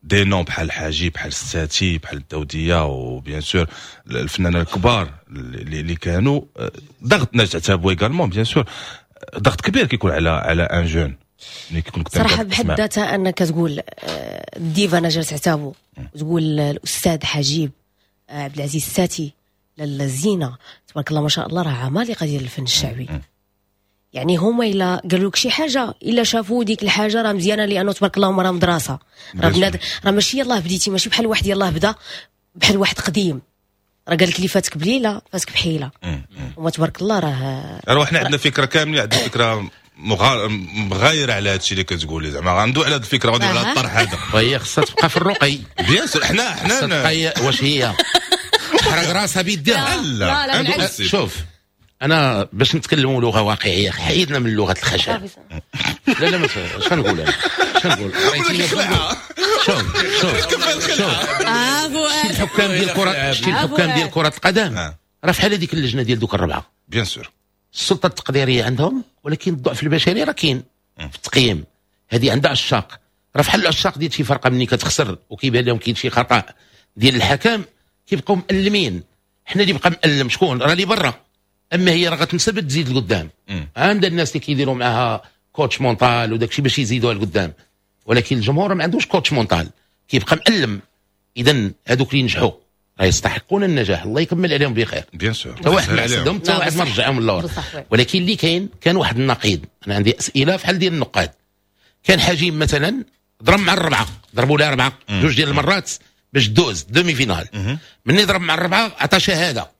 des noms بحال حاجي، بحال الساتي، بحال الداوديه، و bien sûr الفنانين الكبار اللي كانوا، ضغط نجاة عتابو également bien sûr، ضغط كبير كيكون على un jeune ملي كيكون صراحة بحد ذاتها انك تقول الديفا نجاة عتابو، وتقول الاستاذ حجيب عبد العزيز الساتي، لاله زينة تبارك الله ما شاء الله، راه عمالقة ديال الفن الشعبي. يعني هما الا قالوا لك شي حاجة، الا شافوا ديك الحاجة راه مزيانه، لانه تبارك الله هما راه مدرسه، راه بناد، راه ماشي يلاه بديتي، ماشي بحال واحد يلاه بدا، بحال واحد قديم راه قال لك اللي فاتك بليلة فاتك بحيلة. هما تبارك الله راه حنا عندنا فكرة كاملة، عندنا فكرة مغايرة على هادشي اللي كتقولي، زعما غندوي على هاد الفكرة، غندوي على الطرح هذا. وهي خصها تبقى في الرقي bien sûr. حنا واش هي حرق راسها بيديها؟ لا لا، شوف انا باش نتكلموا لغة واقعية، حيدنا من لغة الخشب. لا لا، اش غنقول انا؟ اش غنقول؟ شوف شوف شوف، الحكام ديال كره، شتي الحكام ديال كره القدم راه فحال هذيك اللجنة ديال دوك الربعه bien sûr، السلطة التقديريه عندهم، ولكن الضعف البشري راه كاين في التقييم. هذه عندها عشاق، راه فحال العشاق ديال شي فرقه ملي كتخسر وكيبان لهم كاين شي خطا ديال الحكم كيبقاو مألمين. حنا اللي بقى مألم شكون؟ راه اللي برا. اما هي راه غتنسب تزيد لقدام. عندها الناس اللي كيديروا معاها coach mental وداك الشيء باش يزيدوها لقدام، ولكن الجمهور ما عندوش coach mental، كيبقى مألم. اذا هذوك اللي نجحوا راه يستحقون النجاح، الله يكمل عليهم بخير bien sûr، حتى واحد ما حسدهم، حتى واحد ما رجعهم للور. ولكن اللي كاين كان واحد النقيض. انا عندي اسئلة فحال ديال النقاد. كان حجيم مثلا ضرب مع الربعه، ضربوا لها اربعة جوج ديال المرات باش دوز demi-finale. مني ضرب مع الربعه عطى شهادة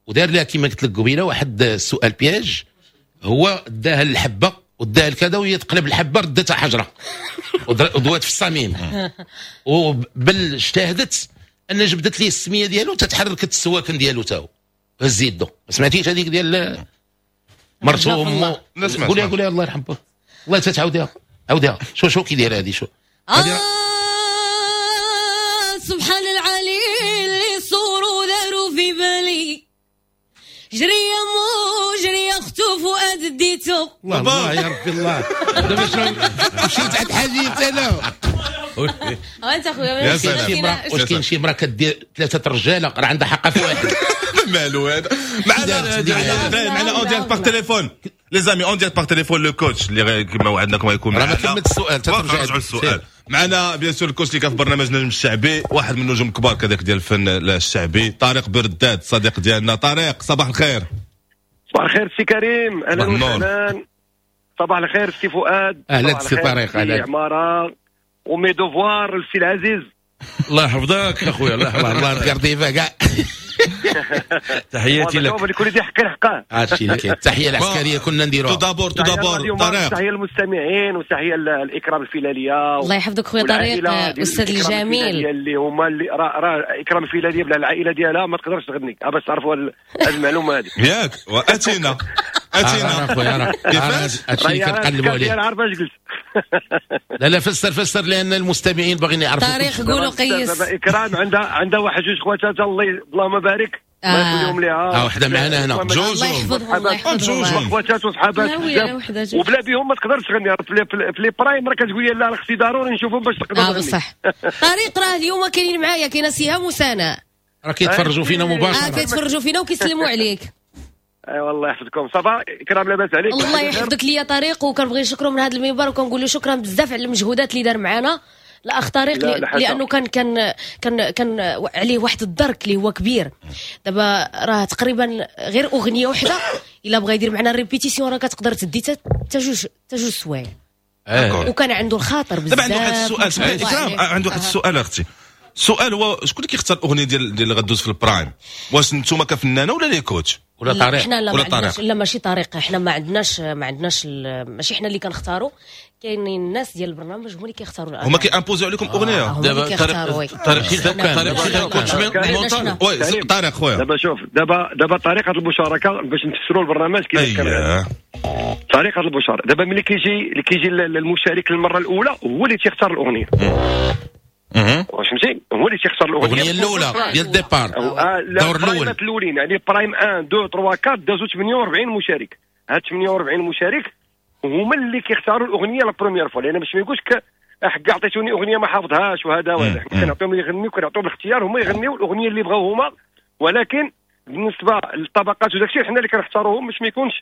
ودار لها كما قلت لك قبيلة واحد السؤال piège، هو داها الحبة وداها الكذا وهي تقلب الحبة ردتها حجره ودوات في الصميم. وبل اجتهدت ان جبدت ليه السمية ديالو تتحركت السواكن ديالو تاهو هز يدو. ما سمعتيش هذيك ديال مرته وامو؟ قوليها قوليها الله يرحم بك، الله تتعاوديها عاوديها. شو كي دايرة هذه؟ شو سبحان العلي اللي صوروا داروا في بالي، جري يا مو جري يا اختو فؤاد ديتو. الله الله يا ربي الله. دابا شنو مشيت عند حاجيت انا؟ انت خويا يا سلام. واش كاين شي مراة كدير 3 رجاله راه عندها حق في واحد؟ مالو هذا؟ معنا en direct par téléphone les amis، en direct par téléphone le coach اللي كما وعدناكم غيكون معنا. راه ما كملت السؤال، ترجع السؤال معنا. bien sûr ال coach اللي كان في برنامج نجم الشعبي، واحد من النجوم الكبار كذاك ديال الفن الشعبي، طارق برداد صديق ديالنا. طارق صباح الخير. صباح الخير سي كريم، اهلا وسهلا. صباح الخير سي فؤاد. اهلا سي طارق. اهلا عمارة و mes devoirs السي العزيز. الله يحفظك اخويا، الله يحفظك. الله يرضي كاع. تحياتي لك. لكل ذي حق حقه. هادشي اللي كاين. التحية العسكرية كنا نديروها. tout d'abord tout d'abord طارق. تحية للمستمعين وتحية الاكرام الفلاليه. الله يحفظك خويا طارق، استاذ الجميل اللي هما اللي راه اكرام الفلاليه بلا العائلة ديالها ما تقدرش تغني، باش تعرفوا هذه المعلومة هذه. ياك واتينا اتينا اخويا، كيفاش هادشي اللي كنقلبوا عليه. انا عارف اش قلت. لا لا فسر فسر لان المستمعين باغيين يعرفوا. طارق قولوا قيس. اكرام عندها واحد جوج خواتات اللهم بارك، الله يخليهم ليها. وحده معنا هنا جوج، الله يحفظهم الله يحفظهم، خواتات وصحابات بزاف، وبلا بهم ما تقدرش تغني. في les primes راه كتقول لي لا خصني ضروري نشوفهم باش تقدر تغني. بصح طارق راه اليوم كاينين معايا، كاينه سهام وسناء راه كيتفرجوا فينا مباشرة. كيتفرجوا فينا وكيسلموا عليك. ايوا الله يحفظكم. ça va اكرام، لاباس عليك؟ الله يحفظك ليا طارق، وكنبغي نشكره من هذا المنبر وكنقول له شكرا بزاف على المجهودات اللي دار معنا الاخ طارق، لانه كان كان كان كان عليه واحد الدرك اللي هو كبير. دابا راه تقريبا غير اغنية واحدة الا بغى يدير معنا répétition راه كتقدر تدي حتى جوج سوايع. وكان عنده الخاطر بزاف. دابا عنده واحد السؤال اكرام، عنده واحد السؤال اختي. السؤال هو شكون اللي كيختار الاغنية ديال اللي غدوز في ال prime؟ واش نتوما كفنانه ولا les coachs ولا طارق؟ حنا لا، ما عندناش، لا ماشي طارق، حنا ما عندناش ماشي حنا اللي كنختاروا، كاينين الناس ديال البرنامج هما اللي كيختاروا الاغاني، هما كي imposer عليكم اغنية. دابا طارق coach oui طارق خويا. دابا شوف، دابا طريقه المشاركة باش نفسروا البرنامج كيفاش كان. طريقه المشاركة دابا ملي كيجي المشارك للمرة الاولى هو اللي تيختار الاغنية. واش فهمتي؟ هو اللي تيختار الاغنية الاولى ديال ال départ، الدور الاول الاولين، يعني prime 1 2 3 4 دازو 48 مشارك. هاد 48 مشارك هما اللي كيختاروا الاغنية la première fois، لان باش ما يقولش حق عطيتوني اغنية ما حافظهاش وهذا وهذا. كنعطيهم يغنيو، كنعطيهم الاختيار، هما يغنيو الاغنية اللي بغاو هما. ولكن بالنسبة للطبقات وداك الشيء حنا اللي كنختاروهم باش ما يكونش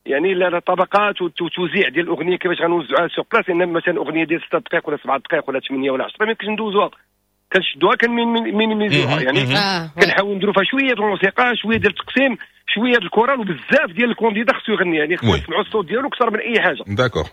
يعني لا الطبقات والتوزيع ديال الاغنية كيفاش غنوزعوها sur place. لان مثلا اغنية ديال 6 دقائق ولا 7 دقائق ولا 8 ولا 10 ما يمكنش ندوزوها، كنشدوها كن minimiser وها، يعني كنحاولوا نديروا فيها شوية ديال الموسيقى، شوية ديال التقسيم، شوية ديال الكورال، وبزاف ديال ال candidat خصو يغني، يعني خصو يسمعوا الصوت ديالو اكثر من اي حاجة. d'accord.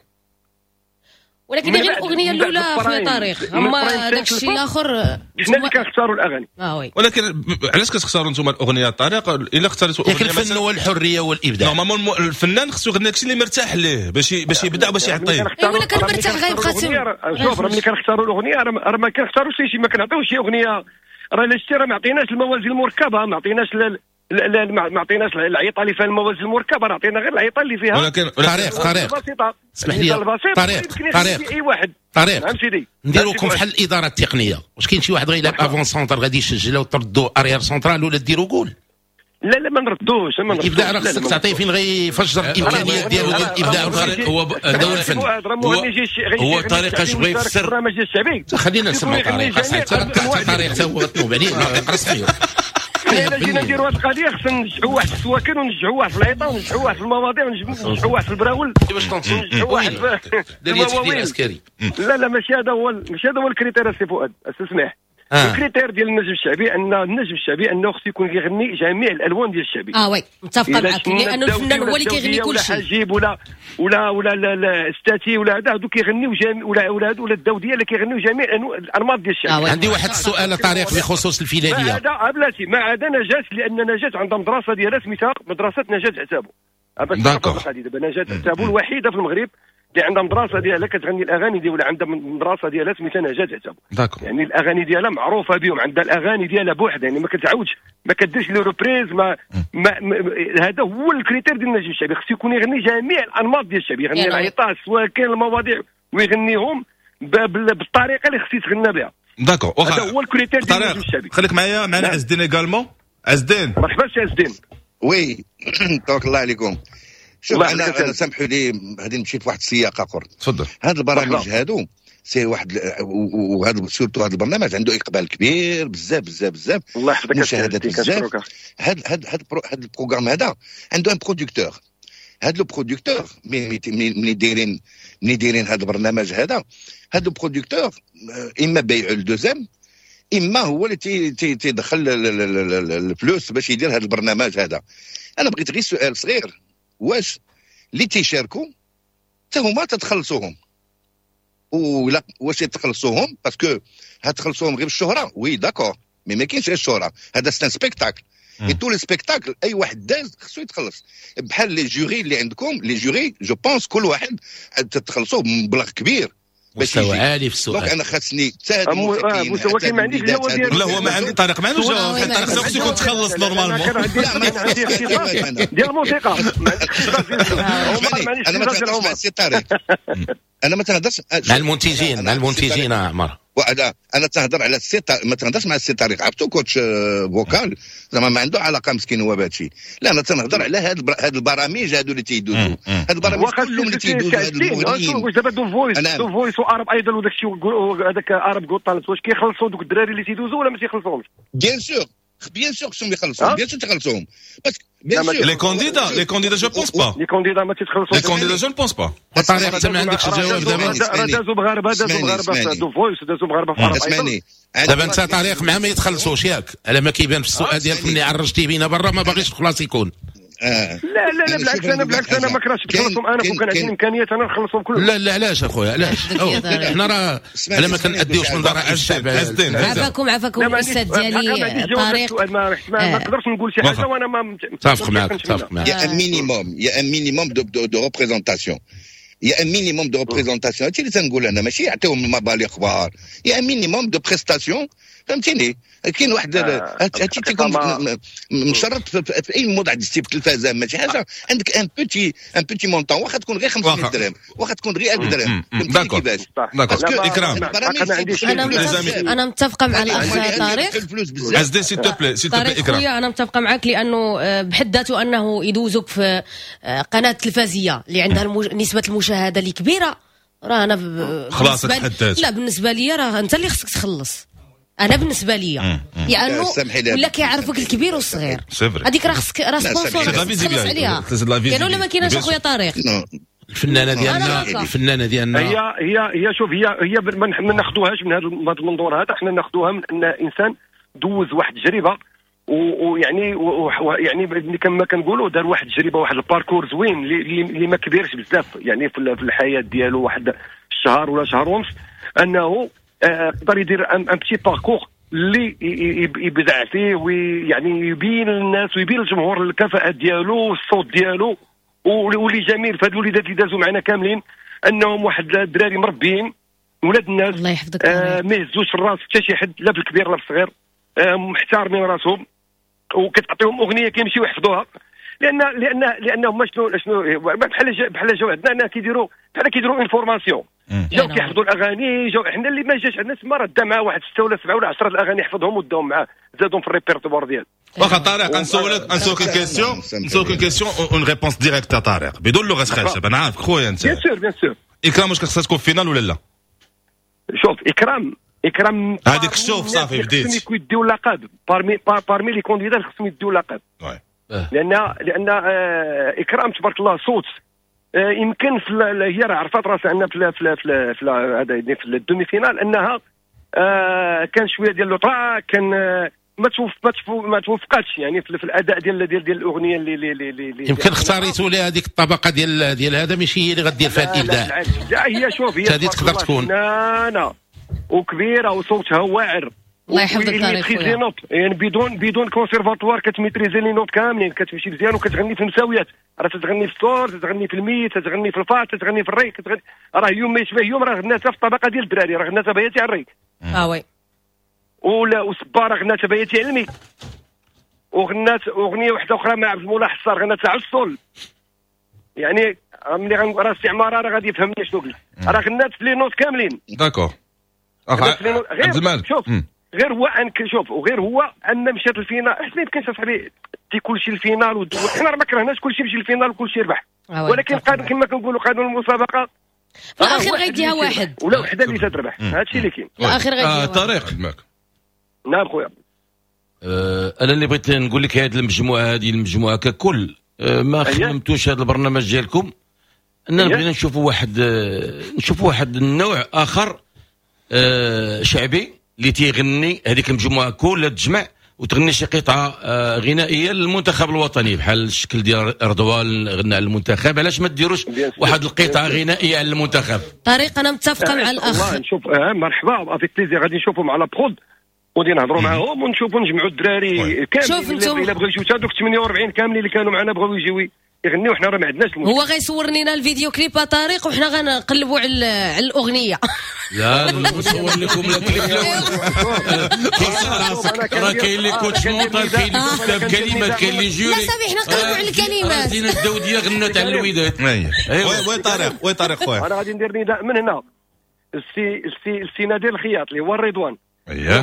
ولكن غير الاغنية الاولى خويا طارق، اما داك الشيء الاخر حنا اللي كنختاروا الاغاني. oui. ولكن علاش كتختاروا انتم الاغنية طارق؟ الا اختاريتوا اغنية الفن هو الحرية والابداع. normalement الفنان خصو يغني داكشي اللي مرتاح ليه باش يبدع باش يعطيه. ولا كان مرتاح غيبقى تما. شوف راه ملي كنختاروا الاغنية راه ما كنختاروش شي، ما كنعطيوش شي اغنية، راه الا شتي راه ما عطيناش الموازين المركبة، ما عطيناش ما عطيناش العيطه اللي فيها الموازين المركبة، راه عطينا غير العيطه اللي فيها. ولكن طارق اسمح لي طارق اي واحد طارق نديروكم بحال الادارة التقنية. واش كاين شي واحد غيلعب avant-centre غادي يسجل وتردو arrière central ولا ديروا جول؟ لا لا ما نردوش. الابداع راه خصك تعطيه فين غيفجر الامكانيات ديالو ديال الابداع. هو هذا هو الفن، هو طريقه اش بغى يفسر البرنامج الشعبي. خلينا نسمعوا طارق، طارق حتى هو غتنوب عليه ناطق رسمي. الا جينا نديروا هذه القضية خصنا ننجحوا واحد في السواكن، وننجحوا واحد في العيطه، وننجحوا واحد في المواضيع، وننجحوا واحد في البراول، وننجحوا واحد في المواويل. عسكري. لا لا ماشي هذا هو، ماشي هذا هو ال critère سي فؤاد، استسمح. ال critère ديال النجم الشعبي ان النجم الشعبي انه خصو يكون كيغني جميع الالوان ديال الشعبي. oui متفقه معك، لانه الفنان هو اللي كيغني كل شيء. ولا حجيب ولا ولا ولا ستاتي ولا هذا، هادو كيغنيو جميع، ولا ولا ولا الداوديه اللي كيغنيو جميع الانماط ديال الشعبي. عندي واحد السؤال طارق بخصوص الفلاليه. ما عدا بلاتي، ما عدا نجاة، لان نجاة عندها مدرسه ديالها سميتها مدرسه نجاة عتابو. d'accord. دابا نجاة عتابو الوحيدة في المغرب اللي عندها مدرسه ديالها كتغني الاغاني ديالها، عندها مدرسه ديالها سميتها نجاة عتابو. يعني الاغاني ديالها معروفة بهم، عندها الاغاني ديالها بوحدها، يعني ما كتعاودش، ما كديرش les reprises. ما, ما, ما هذا هو ال critère ديال النجم الشعبي، خصو يكون يغني جميع الانماط ديال الشعبي، يغني العيطه، السواكن، المواضيع، ويغنيهم بالطريقة اللي خصو يتغنى بها. d'accord. هذا هو ال critère ديال النجم الشعبي. خليك معايا، معنا عز الدين également. عز الدين مرحبا سي عز الدين. oui تبارك الله عليكم. شوف انا سامحوا لي غادي نمشي في واحد السياق اخر. تفضل. هاد البرامج هادو c'est واحد، وهذا surtout هذا البرنامج عنده اقبال كبير بزاف بزاف بزاف. الله يحفظك. مشاهدات بزاف. هذا ال programme هذا عنده un producteur. هذا le producteur ملي دايرين هذا البرنامج هذا، هذا ال producteur اما بيعوا لدوزام، اما هو اللي تيدخل الفلوس باش يدير هذا البرنامج هذا. انا بغيت غير سؤال صغير: واش اللي تيشاركوا حتى هما تتخلصوهم ولا واش تخلصوهم؟ parce que هتخلصوهم غير بالشهره، oui d'accord، mais ما كاينش غير الشهره، هذا c'est un spectacle et tous les spectacles اي واحد داز خصو يتخلص. بحال les jurys اللي عندكم، les jurys je pense كل واحد تتخلصوه بمبلغ كبير. مستوى عالي في السؤال. donc انا خاصني حتى هاد المستوى ما عنديش. لا، هو ما عندي طارق، ما عندوش جواب. طارق خصو يكون تخلص normalement. عندي ديال الموسيقى. انا ما تهضرش مع السي طارق، انا ما تهضرش. مع المنتجين، مع المنتجين عمر. انا تهضر على السي، ما تهضرش مع السي طارق، عرفتو coach vocal زعما ما عنده علاقة مسكين هو بهادشي. لا، انا تنهضر على هاد البرامج هادو اللي تيدوزو، هاد البرامج كلهم اللي تيدوزو، هاد المغنيين. واش دابا The Voice، The Voice و Arab Idol وداك الشيء، هذاك Arabs Got Talent، واش كيخلصوا دوك الدراري اللي تيدوزو ولا ما تيخلصوهمش؟ bien sûr، bien sûr خصهم يخلصوا، bien sûr تخلصوهم. bien sûr les candidats، les candidats je pense pas. les candidats ما تيتخلصوش. les candidats je pense pas. طارق، انت ما عندكش الجواب دابا. راه دازوا مغاربه، دازوا مغاربة في The Voice، دازوا مغاربة في Arab. اسمعني. دابا انت طارق مع ما يتخلصوش، ياك؟ على ما كيبان في السؤال ديالك ملي عرجتي بينا برا، ما باغيش الخلاص يكون. آه. لا لا لا، بالعكس، انا بالعكس، انا ما كرهتش تخلصهم. انا كون كان عندي الامكانيات انا نخلصهم كلهم. لا لا، علاش اخويا؟ علاش؟ حنا راه على ما كنأديوش من ضرائب الشعب. عافاكم عافاكم، الاستاذ ديالي طارق. ما نقدرش نقول شي حاجة وانا ما متفق معك، متفق معك. y a un minimum، y a un minimum de représentation، y a un minimum de représentation. هادشي اللي تنقول انا، ماشي يعطيهم مبالغ كبار، y a un minimum de prestation، فهمتيني؟ كاين واحد هادشي تيكون مشرط في اي موضع دزتي في التلفازه، ماشي حاجه، عندك un petit montant، واخا تكون غير 500 درهم، واخا تكون غير 1000 درهم، فهمتيني كيفاش؟ d'accord اكرام. انا متفقه مع الاخ طارق. عزدي، s'il te plaît، s'il te plaît اكرام. انا متفقه معك لانه بحد ذاته انه يدوزوك في قناة تلفزيه اللي عندها نسبه المشاهدة اللي كبيره، راه انا خلاص. لا، بالنسبة لي راه انت اللي خصك تخلص. انا بالنسبة لي لانه ولا كيعرفك الكبير والصغير، هذيك راه خصك راه sponsor تخلص عليها. كاين ولا ما كايناش اخويا طارق؟ الفنانة ديالنا، الفنانة ديالنا. هي هي هي شوف، هي هي ما ناخذوهاش من هذا المنظور هذا. حنا ناخذوها من ان انسان دوز واحد التجربة ويعني كما كنقولوا دار واحد التجربه، واحد ال parcours زوين اللي ما كبيرش بزاف، يعني في الحياة ديالو واحد الشهر ولا شهر ونص، انه قدر يدير un petit parcours اللي يبدع فيه ويعني يبين للناس ويبين للجمهور الكفاءة ديالو والصوت ديالو. واللي جميل في هاد الوليدات اللي دازوا معنا كاملين انهم واحد الدراري مربيين، ولاد الناس. الله يحفظك. ما يهزوش الراس حتى شي حد، لا في الكبير لا في الصغير، محترمين راسهم، وكتعطيهم اغنية كيمشيو يحفظوها، لان هما شنو بحال جاو عندنا كيديروا بحال كيديروا une formation، جاو كيحفظوا الاغاني. جاو حنا اللي ما جاش عندنا تما راه دا معاه واحد 6 ولا 7 ولا 10 الاغاني، حفظهم وداهم معاه، زادهم في الريبرتوار ديالو. واخا طارق، نسولك question، une réponse directe طارق، بدون لغة خشب، انا عارفك خويا انت. bien sûr، bien sûr. اكرام واش خصها تكون finale ولا لا؟ شوف، اكرام، اكرام. هذيك شوف، صافي بديت. خصهم يديو اللقب parmi les candidats، خصهم يديو اللقب لان اكرام تبارك الله صوت، يمكن في هي راه عرفت راسها ان في هذا يعني في ال demi-finale انها كان شوية ديال le trac، كان ما توفقاتش يعني في الاداء ديال الاغنية اللي يمكن اختاريتوا لها هذيك الطبقة ديال هذا، ماشي هي اللي غدير فيها الابداع. لا، هي شوف هي هذه تقدر تكون فنانة وكبيره وصوتها واعر. الله يحفظك طارق. les notes يعني بدون كونسيرفاتوار كت maîtriser les notes كاملين، كتمشي مزيان وكتغني في المساويات، راه تتغني في ال sol، تتغني في ال mi، تتغني في ال fa، تتغني في ال ré، كتغني. راه يوم ما يشبه يوم، راه غناتها في الطبقة ديال الدراري، راه غناتها بياتي على ال ré. اه oui. ولا وصباره غناتها بياتي على ال mi، وغنات اغنية واحدة اخرى مع عبد المولى حصار غناتها على ال sol. يعني ملي راه استعمار راه غادي يفهمني شنو قلت، راه غنات في les notes كاملين. d'accord عبد المالك. شوف، غير هو ان شوف، وغير هو ان مشات ال finale، حيت ما يمكنش اصاحبي تي كلشي ال finale. حنا راه ما كرهناش كلشي يمشي ال finale وكلشي يربح، ولكن قانون كما كنقولوا قانون المسابقه. في الاخير غيديها واحد ولا وحده اللي تتربح، هادشي اللي كاين في الاخير غيديها. طارق نعم خويا، انا اللي بغيت نقول لك هذه المجموعة، هذه المجموعة ككل ما خدمتوش هذا البرنامج ديالكم، اننا بغينا نشوفوا واحد، نشوفوا واحد النوع اخر شعبي اللي تيغني هذيك المجموعة كلها تجمع وتغني شي قطعه غنائية للمنتخب الوطني بحال الشكل ديال رضوان غنى على المنتخب. علاش ما ديروش واحد القطعة غنائية على المنتخب؟ طريق انا متفقه مع الاخ. نشوف مرحبا avec plaisir، غادي نشوفوا مع la prod وغادي نهضروا معاهم ونشوفوا نجمعوا الدراري كاملين. الا بغاو يجيو حتى دوك 48 كاملين اللي كانوا معنا بغاو يجيو يغنيو، حنا راه ما عندناش المشكل. هو غيصور لنا الفيديو كليب طارق وحنا غنقلبوا على الاغنية. لا نصور لكم الكليب الاول. راه كاين les coachs mental، كاين اللي كتب كلمات، كاين les jurys. لا صافي حنا نقلبوا على الكلمات. زينة الداوديه غنت على الوداد. oui طارق، oui طارق خويا، انا غادي ندير نداء من هنا السي السي السي نادر الخياط اللي هو الرضوان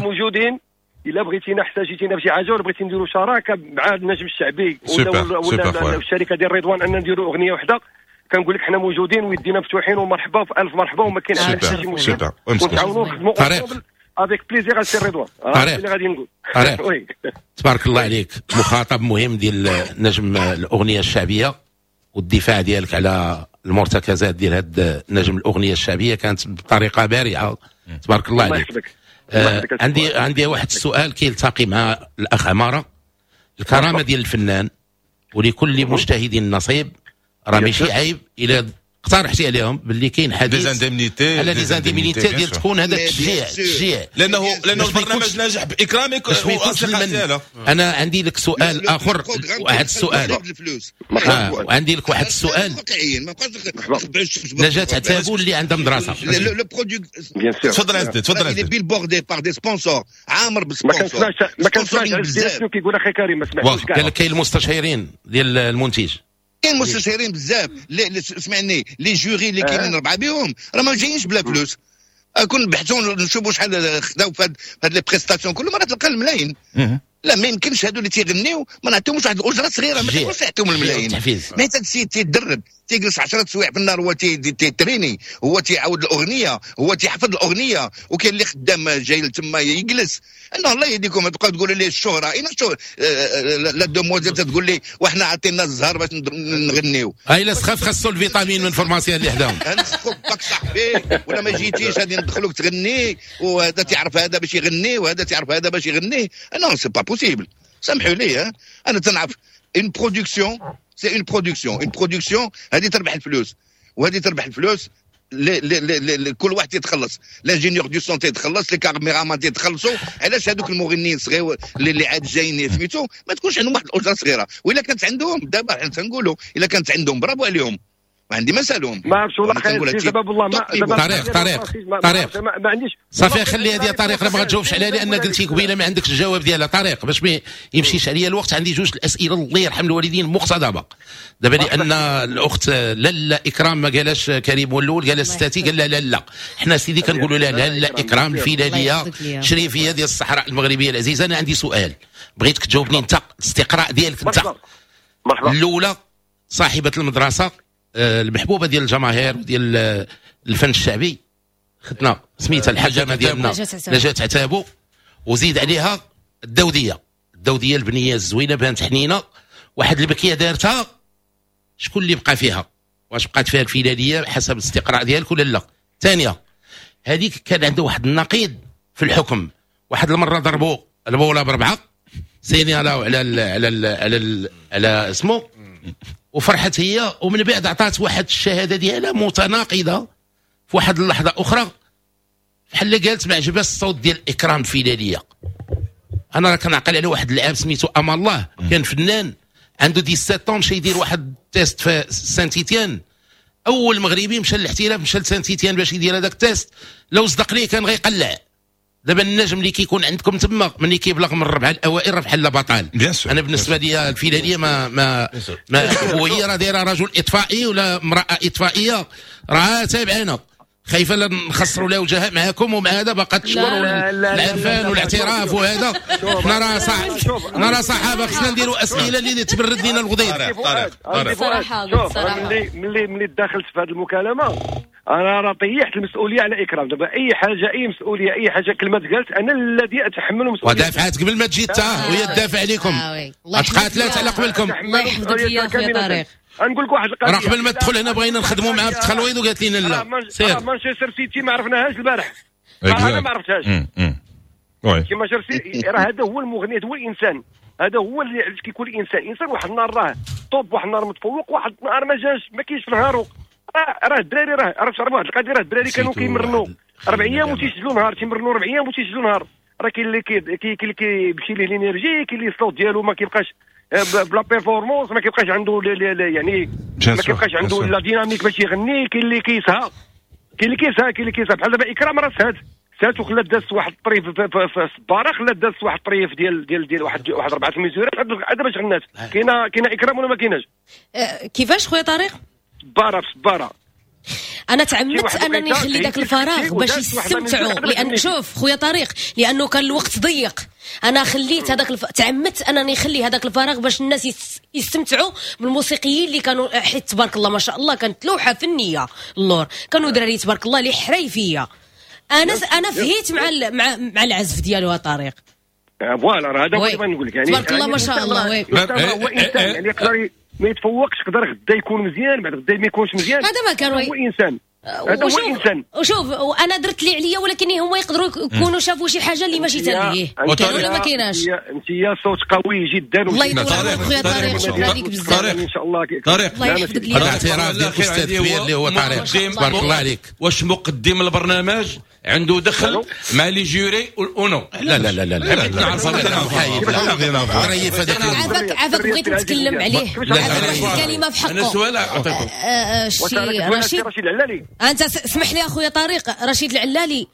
موجودين، الا بغيتينا احتاجيتينا بشي حاجة ولا بغيتي نديروا شراكة مع النجم الشعبي ولا الشركة ديال رضوان ان نديروا اغنية وحده، كنقول لك حنا موجودين ويدينا مفتوحين ومرحبا في الف مرحبا وما كاين حتى شي مشكل، ونتعاونوا نخدموا avec plaisir السي رضوان. طارق اللي غادي نقول طارق تبارك الله عليك، مخاطب مهم ديال نجم الاغنية الشعبية، والدفاع ديالك على المرتكزات ديال هاد نجم الاغنية الشعبية كانت بطريقة بارعه، تبارك الله عليك. عندي واحد السؤال كيلتقي مع الاخ عمارة. الكرامة ديال الفنان ولكل مجتهد نصيب، راه ماشي عيب الى اقترحتي عليهم باللي كاين حديث على des indemnités ديال تكون هذا التشجيع، لانه البرنامج ناجح باكرامك والاصدقاء ديالو. انا عندي لك سؤال اخر، واحد السؤال وعندي لك واحد السؤال. نجاة عتابو اللي عندها مدرسه، تفضل عزيزي تفضل عزيزي. bordé par des sponsors، عامر ب sponsors. ما كنسمعش شنو كيقول اخي كريم، ما سمعتوش كاع. قال لك كاين المستشيرين ديال المنتج، كاين مستشارين بزاف، سمعني les jurys اللي كاينين ربعه بهم راه ما جايينش بلا فلوس. كون نبحثوا نشوفوا شحال خداو في هاد les prestations كل مرة تلقى الملايين. لا ما يمكنش هادو اللي تيغنيو ما نعطيهمش واحد الاجرة صغيرة، ما تقدرش تعطيهم الملايين. ما حتى السيد تيدرب، تيجلس 10 سوايع في النهار، هو تيتريني، هو تيعاود الاغنية، هو تيحفظ الاغنية، وكاين اللي خدام جاي تما يجلس. انا الله يهديكم تبقاو تقولوا لي الشهرة، اين الشهرة؟ la demoiselle تقول لي وحنا عطينا الزهر باش نغنيو. الا سخاف خاصو الفيتامين من pharmacien اللي حداهم. نسخف باك صاحبي ولا ما جيتيش غادي ندخلوك تغني، وهذا تعرف هذا باش يغني وهذا تعرف هذا باش يغني. non c'est pas possible، سامحوا لي. انا تنعرف une production، c'est une production، une production هذه تربح الفلوس وهذه تربح الفلوس. كل واحد يتخلص، l'ingénieur du son تيتخلص، les caméramans تيتخلصوا. علاش هذوك المغنيين الصغير اللي عاد جايين سميتو ما تكونش عندهم واحد الاجرة صغيرة؟ والا كانت عندهم دابا حنا تنقولوا الا كانت عندهم برافو عليهم، ما عندي ما نسالهم. ما عرفتش والله خير سبب والله ما طريق طريق طريق ما عنديش. صافي خلي هذه طريق، ما غتجاوبش عليها لان قلتي قبيلة ما عندكش الجواب ديالها. طريق باش ما يمشيش عليا الوقت، عندي جوج الاسئلة الله يرحم الوالدين مقتضبه دابا، لان الاخت لاله اكرام ما قالهاش كريم الاول، قالها ستاتي، قال لا لا حنا سيدي كنقولوا لها لاله اكرام الفيلاليه شريفيه ديال الصحراء المغربية العزيزة. انا عندي سؤال بغيتك تجاوبني انت، الاستقراء ديالك انت. الاولى صاحبه المدرسة المحبوبة ديال الجماهير وديال الفن الشعبي، ختنا سميتها الحجامة ديالنا نجاة عتابو، وزيد عليها الدوديه، الدوديه البنية الزوينة بانت حنينه، واحد البكيه دارتها، شكون اللي بقى فيها؟ واش بقات فيها الفيلاليه حسب الاستقراء ديالك ولا لا؟ ثانية هذيك كان عندها واحد النقيض في الحكم، واحد المرة ضربوا البوله بربعه سينيالاو على ال على ال على ال على اسمه، وفرحت هي، ومن بعد عطات واحد الشهادة ديالها متناقضة في واحد اللحظة اخرى، بحال قالت ما عجبهاش الصوت ديال اكرام الفيلاليه. انا راه كنعقل على واحد اللاعب سميتو امان الله، كان فنان عنده 17 مشى يدير واحد test في سانتيتيان، اول مغربي مشى للاحتراف مشى لسانتيتيان باش يدير هذاك ال test، لو صدق ليه كان غيقلع. دابا النجم اللي كيكون عندكم تما ملي كيبلغ من الربعه الاوائل راه بحال بطل. انا بالنسبة لي الفيلاليه ما ما ما وهي راه دايرة رجل اطفائي ولا امراة اطفائيه راه تابعانا، خايفة لا نخسروا لها وجهها معاكم ومع هذا باقا تشكر والعرفان والاعتراف وهذا. حنا راه صح، حنا راه صحابه، خصنا نديروا اسئلة اللي تبرد لنا الغدير. صراحة ملي دخلت في هذه المكالمة انا راه طيحت المسؤولية على اكرام. دابا اي حاجة، اي مسؤولية، اي حاجة كلمة تقالت انا الذي اتحمل المسؤولية. ودافعات قبل ما تجي تا وهي تدافع عليكم، تقاتلات على قبلكم. الله يحفظك يا خويا طارق. نقول لك واحد القضية، راه قبل ما تدخل هنا بغينا نخدموا معاه في التخلويض وقالت لنا لا. سير مانشستر سيتي ما عرفناهاش البارح، انا ما عرفتهاش. oui مانشستر سيتي راه هذا هو المغني، هذا هو الانسان، هذا هو اللي علاش كيكون الانسان انسان. واحد النهار راه top، واحد النهار متفوق، واحد النهار ما جاش، ما كاينش في نهارو. راه الدراري راه تعرف واحد القضية، راه الدراري كانوا كيمرنوا 4 ايام وتيسجلوا نهار، تيمرنوا 4 ايام وتيسجلوا نهار. راه كاين اللي كيمشي ليه l'énergie، كاين اللي الصوت ديالو ما كيبقاش بلا performance، ما كيبقاش عنده يعني ما كيبقاش عنده la dynamique باش يغني. كاين اللي كيسهى، كاين اللي كيسهى، كاين اللي كيسهى. بحال دابا اكرام راه سهات وخلات دازت واحد الطريف في الصباره، خلات دازت واحد الطريف ديال ديال ديال واحد 4 mesure ات عاد باش غنات. كاينه اكرام ولا ما كايناش؟ كيفاش خويا طارق؟ صباره في صباره. انا تعمدت انني نخلي ذاك الفراغ باش يستمتعوا، لان شوف خويا طارق لانه كان الوقت ضيق، انا خليت هذاك تعمدت انني نخلي هذاك الفراغ باش الناس يستمتعوا بالموسيقيين اللي كانوا، حيت تبارك الله ما شاء الله كانت لوحة فنية اللور، كانوا دراري تبارك الله اللي حريفيه. انا فهيت مع العزف ديالو طارق. voilà راه هذا هو اللي بغيت نقول لك، يعني تبارك الله ما شاء الله. هو انسان يعني يقدر ما يتفوقش، يقدر غدا يكون مزيان، بعد غدا ما يكونش مزيان. هذا ما كان، هو انسان، هذا هو انسان. وشوف وانا درت اللي عليا، ولكن هما يقدروا يكونوا شافوا شي حاجة اللي ماشي تنهيه ولا ما كايناش. انت يا صوت قوي جدا. الله يطول عمرك خويا طارق، شكرا لك بزاف. ان شاء الله طارق الله يحفظك ليا. هذا اعتراف ديال الاستاذ كبير اللي هو طارق، تبارك الله عليك. واش مقدم البرنامج عنده دخل مع les jurys ou non؟ لا لا لا لا لا عافاك عافاك، بغيت نتكلم عليه، عافاك واحد الكلمة في حقه. انا سؤال اعطيكم رشيد العلالي، انت اسمح لي اخويا طارق. رشيد العلالي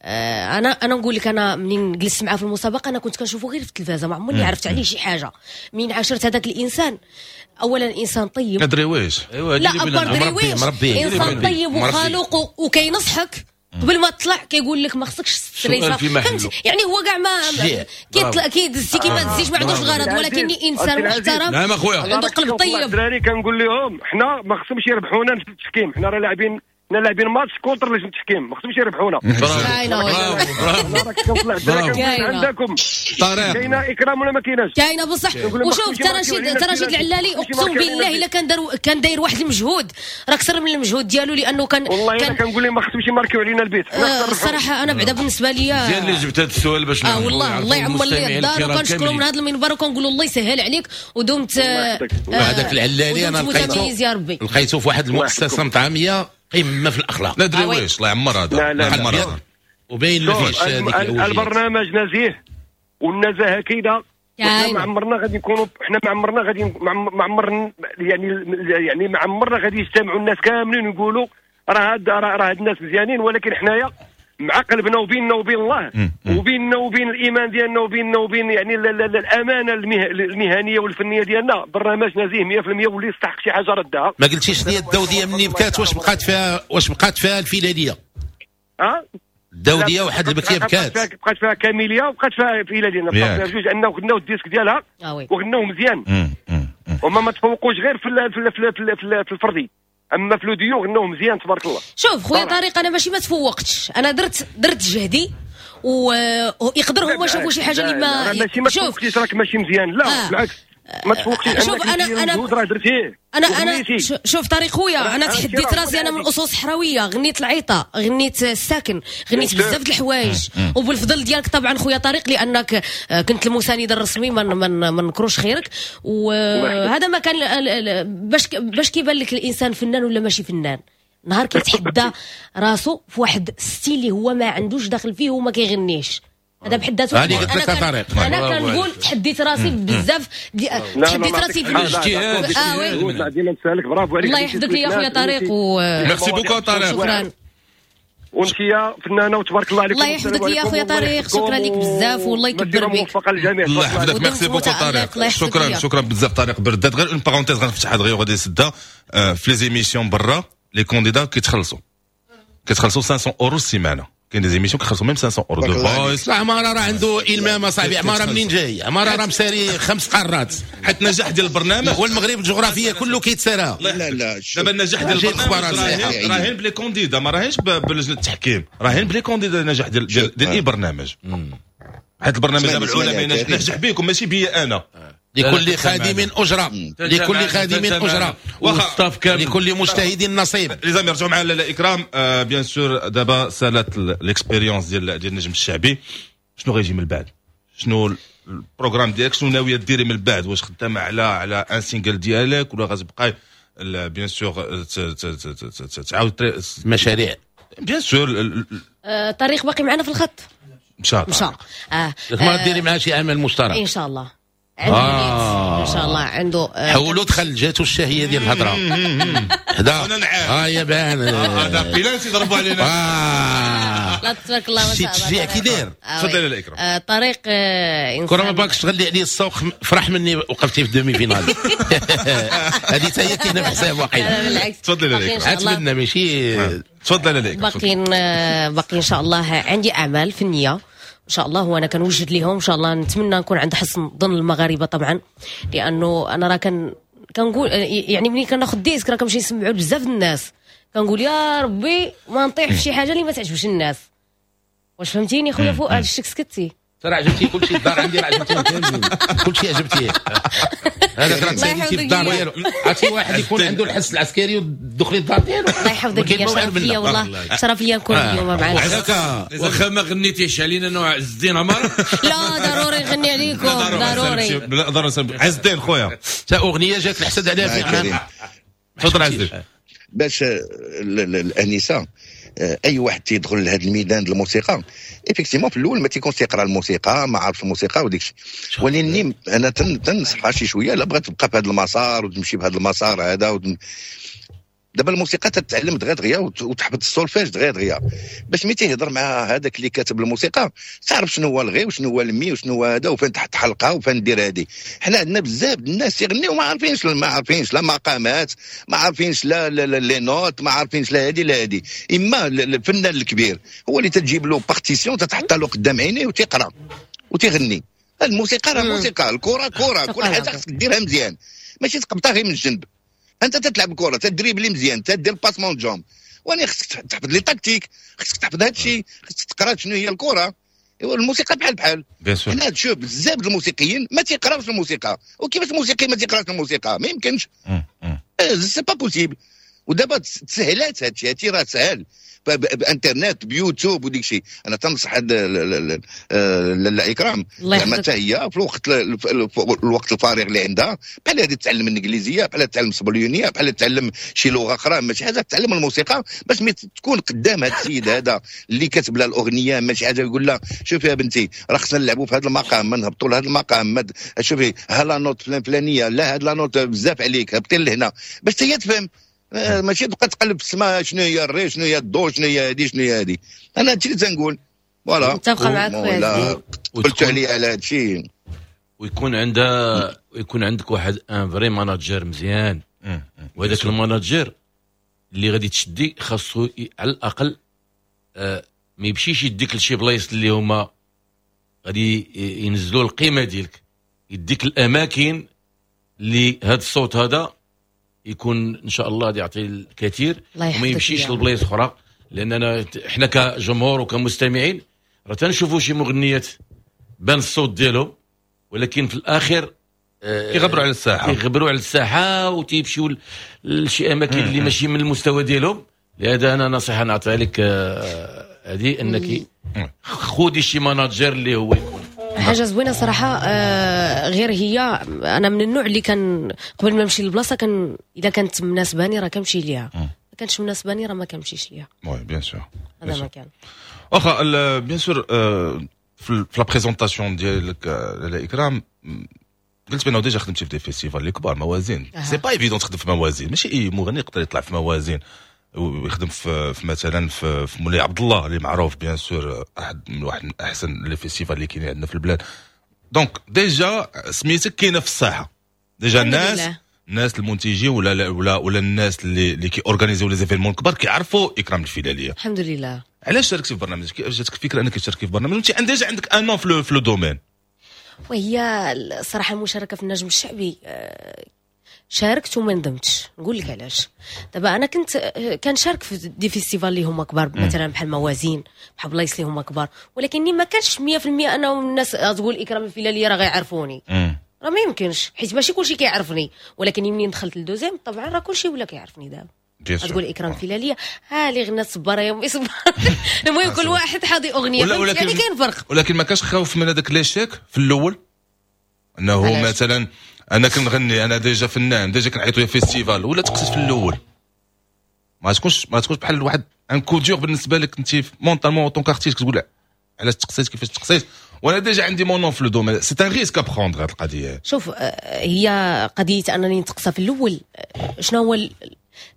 انا نقول لك، انا منين جلست معاه في المسابقة انا كنت كنشوفه غير في التلفازه، ما عمرني عرفت عليه شي حاجة. منين عاشرت هذاك الانسان، اولا انسان طيب، دريويش. لا ابار دريويش، انسان طيب وخلوق وكينصحك قبل ما تطلع، كيقول لك ما خصكش stressa، فهمت يعني. هو كاع ما كيطلع كيدزي كيما تزيش، ما عندوش الغرض، ولكن انسان محترم. نعم اخويا، عنده قلب طيب. الدراري كنقول لهم حنا ما خصهمش يربحونا في التحكيم، حنا راه لاعبين، حنا لاعبين match contre لجنة التحكيم، ما خصهمش يربحونا. برافو عندكم طارق، كاينه اكرام ولا ما كايناش؟ كاينه بصح. وشوف ترى رشيد العلالي اقسم بالله الا كان داير واحد المجهود، راه اكثر من المجهود ديالو، لانه كان والله انا كنقول لهم ما خصهمش يماركيو علينا البيت. الصراحة انا بعدا بالنسبة لي مزيان اللي جبت هذا السؤال باش والله الله يعمر لي الدار، وكنشكرو من هذا المنبر وكنقولوا الله يسهل عليك ودمت. هذاك العلالي انا لقيته في واحد المؤسسة مطعميه قمة في الاخلاق. لا دريويش الله يعمر هذا. لا لا لا وباين ما فيش هذيك البرنامج نزيه والنزاهة كاينه. حنا ما عمرنا غادي نكونوا، حنا ما عمرنا غادي ما عمرنا يعني ما عمرنا غادي يجتمعوا الناس كاملين ويقولوا راه هاد الناس مزيانين، ولكن حنايا مع قلبنا وبيننا وبين الله وبيننا وبين الايمان ديالنا وبيننا وبين يعني الامانة المهنية والفنية ديالنا. برنامج نزيه 100% واللي يستحق شي حاجة ردها. ما قلتيش لي الدوديه مني بكات، واش بقات فيها، واش بقات فيها الفيلاليه؟ الدوديه واحد البكيه بكات، بقات فيها كاميليا وبقات فيها فيلاليه، بقات فيها جوج، انه غناو ال disque ديالها وغناو مزيان، وما ما تفوقوش غير في في الفردي، اما في le duo غناو مزيان تبارك الله. شوف خويا طارق، انا ماشي ما تفوقتش، انا درت جهدي، ويقدر هما شافوا شي حاجة اللي ما ماشي ما تفوقتيش، راك ماشي مزيان، لا بالعكس ما تفوقتيش. شوف انا راه درتيه. انا شوف طارق خويا، انا تحديت راسي، انا من اصول صحراويه، غنيت العيطه، غنيت الساكن، غنيت بزاف د الحوايج، وبالفضل ديالك طبعا خويا طارق، لانك كنت المساند الرسمي، ما نكروش خيرك. وهذا ما كان باش كيبان لك الانسان فنان ولا ماشي فنان، نهار كيتحدى راسو في واحد style اللي هو ما عندوش داخل فيه وما كيغنيش، هذا بحد ذاته. انا كنقول تحديت راسي بزاف، تحديت راسي في الاجتهاد. oui ديما نسالك، برافو عليك، الله يحفظك لي يا خويا طارق. merci beaucoup طارق، شكرا. وانت يا فنانة وتبارك الله عليك. الله يحفظك لي يا خويا طارق، شكرا لك بزاف والله يكبر بك. الله يحفظك، merci beaucoup طارق، شكرا شكرا بزاف طارق برداد. غير une parenthèse غنفتح هاد غير غادي نسدها. في les émissions برا les candidats كيتخلصوا 500 اورو السيمانة. كاين des émissions كيخلصوا même 500 اورو The Voice. لا، عمارة راه عنده المام صاحبي. عمارة منين جاي؟ عمارة راه مساري خمس قارات. حيت النجاح ديال البرنامج هو المغرب الجغرافية كله كيتسارى. لا لا، دابا النجاح ديال البرنامج راهين ب les candidats، ما راهينش بلجنه التحكيم، راهين ب les candidats النجاح ديال اي برنامج. حيت البرنامج دابا العلماء نجح بكم ماشي بيا انا. لكل خادم أجرة، لكل خادم أجرة، لكل مجتهد نصيب. les amis، رجعوا مع لاله اكرام. bien sûr دابا سالات l'expérience ديال النجم الشعبي، شنو غيجي من بعد؟ شنو ال programme ديالك؟ شنو ناوية ديري من بعد؟ واش خدامه على un single ديالك ولا غتبقاي bien sûr تعاود مشاريع؟ bien sûr. طارق باقي معنا في الخط؟ مشى. مشى. ما ديري معاه شي عمل مشترك؟ ان شاء الله عنده ان شاء الله عنده. حولوا دخل جاتو الشهية ديال الهضره. هذا ها يا بان هذا بيلانتي ضربوا علينا. لا تبارك الله ما شاء الله. التشجيع كي داير. تفضل يا اكرام. طريق انسان كره ما باكش تغلي عليه السوق، فرح مني وقفتي في ال demi-finale. هذه حتى هي كاينه في حساب واقيلا. بالعكس. تفضل يا اكرام. اتمنى ماشي. تفضل يا اكرام. باقي ان شاء الله عندي اعمال فنية ان شاء الله، وانا كنوجد ليهم ان شاء الله. نتمنى نكون عند حسن ظن المغاربة طبعا، لانه انا راه كنقول يعني ملي كناخذ disque راه كنمشي نسمعو بزاف الناس، كنقول يا ربي ما نطيح في شي حاجة اللي ما تعجبش الناس. واش فهمتيني خويا فؤاد؟ شتك سكتي؟ ترى عجبتي كلشي الدار عندي، راه عجبتيهم كاملين، كلشي عجبتيه. هذاك راه تساليتي في الدار ديالو. عرفتي واحد يكون عنده الحس العسكري ودخلي الدار ديالو. الله يحفظك يا شرف ليا والله، شرف ليا نكون اليوم معاك. واخا ما غنيتيش علينا نوع عز الدين عمر. لا ضروري نغني عليكم، ضروري ضروري. عز الدين خويا تا اغنية جات الحسد عليها في. تفضل عز الدين. باش الانسة اي واحد تيدخل لهذا الميدان ديال الموسيقى effectivement في الاول ما تيكونش تيقرا الموسيقى، ما عارف الموسيقى وديك الشيء، ولكن انا تنصحها شي شوية لا بغات تبقى في هذا المسار وتمشي بهذا المسار هذا. دابا الموسيقى تتعلم دغيا دغيا وتحفظ السولفاج دغيا دغيا، باش ملي تيهضر مع هذاك اللي كاتب الموسيقى تعرف شنو هو ال ré وشنو هو ال mi وشنو هو هذا وفين تحط حلقة وفين دير هذه. حنا عندنا بزاف الناس يغنيو ما عارفينش، ما عارفينش لا مقامات، ما عارفينش لا les notes، ما عارفينش لا هذه لا هذه. اما الفنان الكبير هو اللي تجيب له partition تتحط له قدام عينيه وتيقرا وتيغني. الموسيقى راه موسيقى، الكره كره، كل حاجة خصك ديرها مزيان، ماشي تقبطها غير من الجنب. انت تتلعب كره تدريبلي مزيان، تدير passement de jambes، وانا خصك تحفظ les tactiques، خصك تحفظ هذا الشيء، خصك تقرا شنو هي الكره. الموسيقى بحال بحال. حنا تشوف بزاف الموسيقيين ما تيقراوش الموسيقى، وكيفاش الموسيقي ما تيقراش الموسيقى؟ ما يمكنش، c'est pas possible. ودابا تسهلات هادشي، هادشي راه سهل بانترنت بيوتيوب وديك الشيء. انا تنصح هاد لاله اكرام زعما حتى هي في الوقت الفارغ اللي عندها بحال هذه تتعلم الانجليزية، بحال تتعلم الاسبانية، بحال تتعلم شي لغة اخرى، ماشي حاجة تتعلم الموسيقى باش ملي تكون قدام هذا السيد هذا اللي كاتب لها الاغنية ماشي حاجة يقول لها شوفي يا بنتي راه خصنا نلعبوا في هذا المقام، ما نهبطوا لهذا المقام، شوفي ها la note فلان فلانيه، لا هاد la note بزاف عليك، هبطي لهنا باش هي تفهم. ماشي تبقى تقلب في السماء شنو هي ال ré شنو هي ال do شنو هي هادي شنو هي هادي. انا هادشي اللي تنقول voilà. متفقه معاك خويا، قلت عليا على هادشي. ويكون عندها ويكون عندك واحد un vrai manager مزيان، وهذاك ال manager اللي غادي تشدي خاصو على الاقل ما يمشيش يديك لشي بلايص اللي هما غادي ينزلوا القيمة ديالك، يديك الاماكن اللي هذا الصوت هذا يكون ان شاء الله يعطي الكثير وما يمشيش لبلايص اخرى. لاننا احنا كجمهور وكمستمعين راه تنشوفوا شي مغنيات بان الصوت ديالهم، ولكن في الاخر كيغبروا على الساحة، كيغبروا على الساحة وتيمشيو لشي اماكن اللي ماشي من المستوى ديالهم. لهذا انا نصيحة نعطيها لك هذه، انك خذي شي manager اللي هو يكون حاجة زوينة صراحة. غير هي انا من النوع اللي كان قبل ما نمشي للبلاصه كان اذا كانت مناسباني راه كنمشي ليها، ما كانتش مناسباني راه ما كنمشيش ليها. oui bien sûr، هذا ما كان. واخا bien sûr في la présentation ديالك لاله اكرام قلت بانه déjà خدمتي في des festivals اللي كبار، موازين. c'est pas évident تخدم في موازين، ماشي اي مغني يقدر يطلع في موازين ويخدم في مثلا في مولاي عبد الله اللي معروف bien sûr احد من واحد من احسن les festivals اللي كاينين عندنا في البلاد. donc déjà سميتك كاينه في الساحة، déjà الناس الناس المنتجين ولا ولا ولا الناس اللي كي organiser يو les événements الكبار كيعرفوا اكرام الفيلاليه. الحمد لله. علاش شاركتي في برنامج؟ كيفاش جاتك الفكرة انك تشاركي في برنامج وانت déjà عندك un nom في le domaine؟ وهي الصراحة المشاركة في النجم الشعبي شاركت وما ندمتش. نقول لك علاش. دابا انا كنت كنشارك في des festivals اللي هما كبار، مثلا بحال موازين، بحال بلايص اللي هما كبار، ولكني ما كانش 100% انه الناس تقول اكرام الفيلاليه راه غيعرفوني، راه ما يمكنش، حيت ماشي كلشي كيعرفني. ولكن منين دخلت لدوزيم طبعا راه كلشي ولا كيعرفني. دابا تقول اكرام فيلاليه ها اللي غنات صباره يا امي صباره، المهم كل واحد حاضي اغنية، يعني كاين فرق. ولكن ما كانش خوف من هذاك l'échec في الاول، انه مثلا انا كنغني، انا déjà فنان، déjà كنعيطوا لي festival، ولا تقصد في الاول ما تكونش بحال واحد un coup dur بالنسبة لك انت mentalement en tant qu'artiste، كتقول علاش تقصيت، كيفاش تقصيت، وانا déjà عندي mon nom في le domaine، c'est un risque à prendre هاد القضية. شوف، هي قضية انني نتقصى في الاول، شنو هو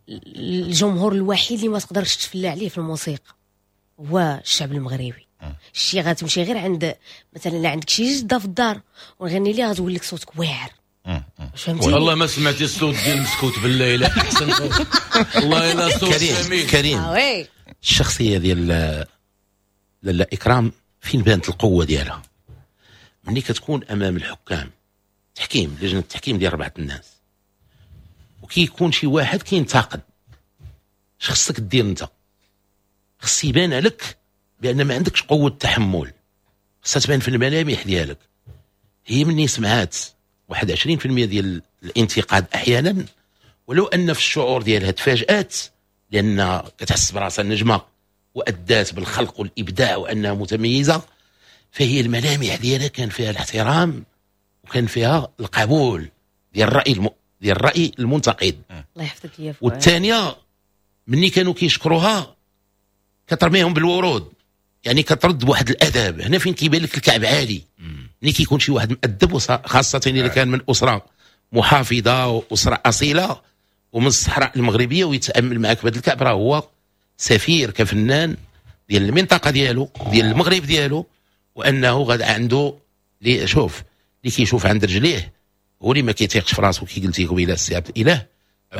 الجمهور الوحيد اللي ما تقدرش تفلى عليه في الموسيقى؟ هو الشعب المغربي. شي غتمشي غير عند مثلا لا عندك شي جده في الدار ونغني ليها غتقول لك صوتك واعر. فهمتي؟ والله ما سمعتي الصوت ديال مسكوت بالله الا احسن صوت، والله الا صوت جميل. كريم، الشخصية ديال لاله اكرام فين بانت القوة ديالها؟ ملي كتكون امام الحكام، تحكيم، لجنة التحكيم ديال 4 الناس، وكيكون شي واحد كينتقد، اش خصك دير انت؟ خص يبان لك بان ما عندكش قوة تحمل، خصها تبان في الملامح ديالك. هي مني سمعات واحد 20% ديال الانتقاد احيانا، ولو ان في الشعور ديالها تفاجات، لان كتحس براسها النجمة وادات بالخلق والابداع وانها متميزة، فهي الملامح ديالها كان فيها الاحترام وكان فيها القبول ديال الراي ديال الراي المنتقد. الله يحفظك يا فؤاد. والثانية مني كانوا كيشكروها كترميهم بالورود، يعني كترد بواحد الادب. هنا فين كيبان لك الكعب عالي، ملي كيكون شي واحد مؤدب، خاصة اذا كان من اسره محافظة واسره اصيلة ومن الصحراء المغربية، ويتامل معك بهذا الكعب، راه هو سفير كفنان ديال المنطقة ديالو، ديال المغرب ديالو، وانه غاد عنده شوف اللي كيشوف عند رجليه هو اللي ما كيتيقش في راسو، كي قلتي قبيلة السي عبد الاله،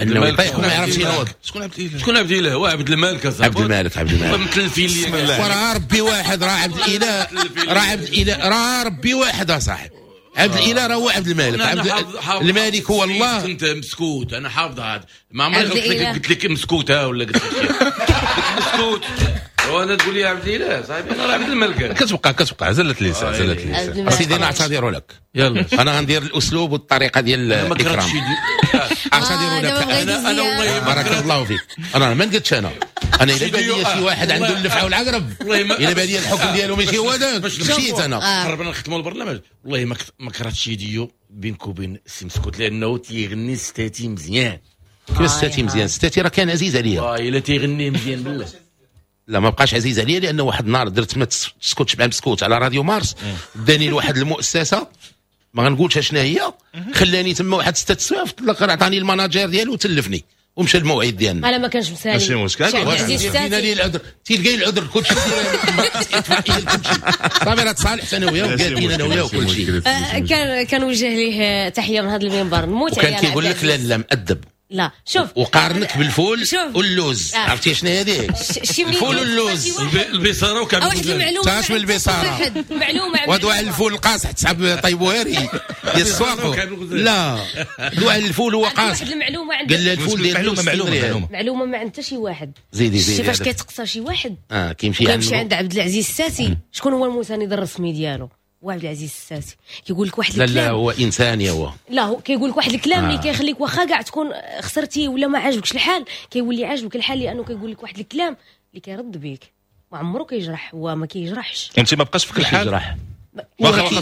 انه يطيح وما يعرفش ينوض. شكون عبد الاله؟ شكون عبد الاله؟ هو عبد الملك اصاحبي. عبد الملك، عبد الملك متلفين لي، وراه ربي واحد، راه عبد الاله، راه عبد الاله، راه ربي واحد اصاحبي. عبد الاله راه هو عبد الملك، عبد الملك هو الله. كنت مسكوت، انا حافظ هذا، ما عمري قلت لك مسكوته ولا قلت لك مسكوت، وانا تقول لي عبد الاله صاحبي، انا راه عبد الملك. كتبقى زلت لسان، زلت لسان سيدي، نعتذر لك. يلا انا غندير الاسلوب والطريقة ديال الاكرام. اعتذر لك انا والله بارك الله فيك. انا ما نقدش، انا الا بان لي شي واحد عنده اللفعه والعقرب، الا بان لي الحكم ديالو ماشي هو هذاك، مشيت انا. قربنا نختموا البرنامج، والله ما كرهتش شي ديو بينك وبين السي مسكوت، لانه تيغني ستاتي مزيان. كيفاش ستاتي مزيان؟ ستاتي راه كان عزيز عليا. والله الا تيغني مزيان بالله. لا ما بقاش عزيز عليا، لانه واحد النهار درت ما تسكتش مع مسكوت على راديو مارس، داني لواحد المؤسسة ما غنقولش شنو هي، خلاني تما واحد 6 سوايع، في الاخر عطاني ال manager ديالو وتلفني ومشى الموعد ديالنا. انا ما كانش مسالي، ماشي مشكل، دينا لي العذر، تلقاي العذر كلشي صافي راه تصالحت انا وياه وقالت انا وياه وكلشي. كان وجه ليه تحية من هذا المنبر، نموت عليه. وكان كيقول لك لا لا مؤدب، لا شوف، وقارنك بالفول واللوز. عرفتي شنو هذيك؟ الفول واللوز، البصاره وكعب الغزال. تاش من البصاره معلومة، ودوا على الفول القاصح تسحب طيبوهري ديال السواق. لا دوا على الفول هو قاصح. المعلومة عندك، قال الفول ديال معلومة معلومة معلومة ما عند حتى شي واحد. زيدي زيدي، فاش كيتقصى شي واحد كيمشي عند عبد العزيز الساسي. شكون هو المساند الرسمي ديالو؟ هو عبد العزيز الساسي. كيقول لك واحد الكلام، لا لا هو انسان، هو لا هو كيقول لك واحد الكلام اللي كيخليك واخا كاع تكون خسرتي ولا ما عاجبكش الحال، كيولي عاجبك الحال، لانه كيقول لك واحد الكلام اللي كيرد بيك، ما عمره كيجرح، هو ما كيجرحش. انت ما بقاش فيك الحال، واخا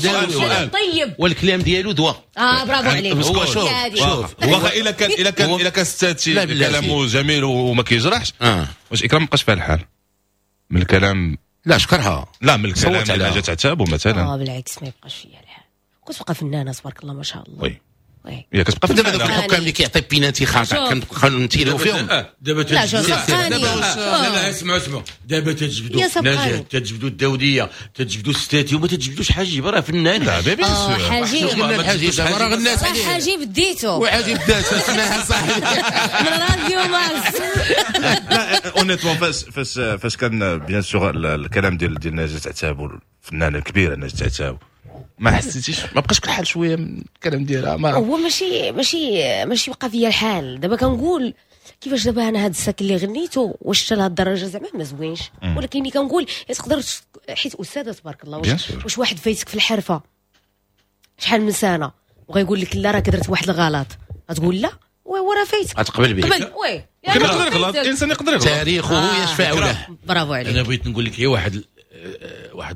طيب، والكلام ديالو دواء. برافو عليك. هو شوف شوف، واخا الا كان ستاتي كلامه جميل وما كيجرحش، واش اكرام ما بقاش فيها الحال من الكلام؟ لا شكرها، لا من الكلام اللي جات عتابو مثلا. بالعكس ما يبقاش فيها الحال، كتبقى فنانة تبارك الله ما شاء الله. oui يا كتبقى دابا دوك الحكام اللي كيعطي بيناتي خاطئ كنبقاو نتيريو فيهم دابا لا لا اسمعوا اسمعوا دابا تتجبدوا نجاة، تتجبدوا الداوديه، تتجبدوا الستاتي، وما تتجبدوش حجيب، راه فنان. لا bien sûr حجيب الحجيب راه غنات عليه، حجيب ديتو وحجيب داتو اسمها صاحبي من راديو مارس. لا honnêtement فاش فاش فاش كان bien sûr الكلام ديال نجاة عتابو، الفنانة الكبيرة نجاة عتابو، ما حسيتيش ما بقاش الحال شوية من الكلام ديالها؟ ما هو ماشي ماشي ماشي بقى فيا الحال. دابا كنقول كيفاش دابا انا هاد الساك اللي غنيتو واش حتى لهاد الدرجة زعما ما زوينش، ولكن كنقول تقدر حيت استاذه تبارك الله، واش واحد فايتك في الحرفة شحال من سنة وغيقول لك لا راك درت واحد الغلط، غتقول لا وهو راه فايتك، غتقبل به. قبل oui يقدر يغلط، الانسان يقدر يغلط، تاريخه يشفع له. برافو عليك. انا بغيت نقول لك هي واحد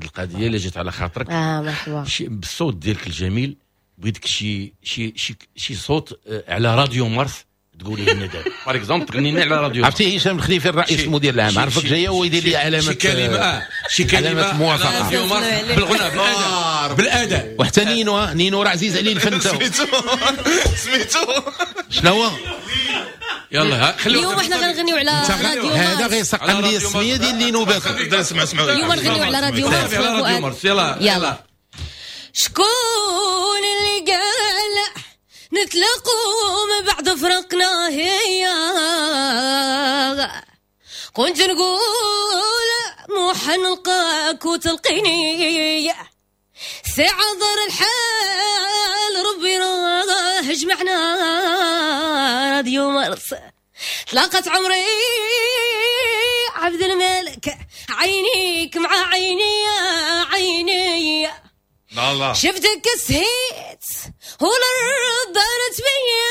القضية اللي جات على خاطرك. مرحبا. بالصوت ديالك الجميل بغيتك شي شي شي شي صوت على راديو مارس تقولي لنا دابا par exemple تغني لنا على راديو. عرفتي هشام الخليفي الرئيس المدير العام عرفك جاية ويدير لي علامة شي كلمة شي كلمة موافقة راديو مارس بالغناء بالاداء. وحتى نينو نينو راه عزيز عليه الفن تاعو. سميتو شنو هو؟ يلا خليو اليوم حنا غنغنيو على راديو مارس. هذا غيسقم لي السمية ديال نينو باكو. اسمع اسمع اليوم نغنيو على راديو مارس. على راديو مارس يلا يلا. شكون اللي قال نتلاقوا من بعد فرقنا؟ هي كنت نقول مو حنلقاك وتلقيني ساعة ضر الحال ربي راه جمعنا راديو مارس. تلاقت عمري عبد الملك عينيك مع عيني عيني الله شفتك سهيت والأرض دارت بيا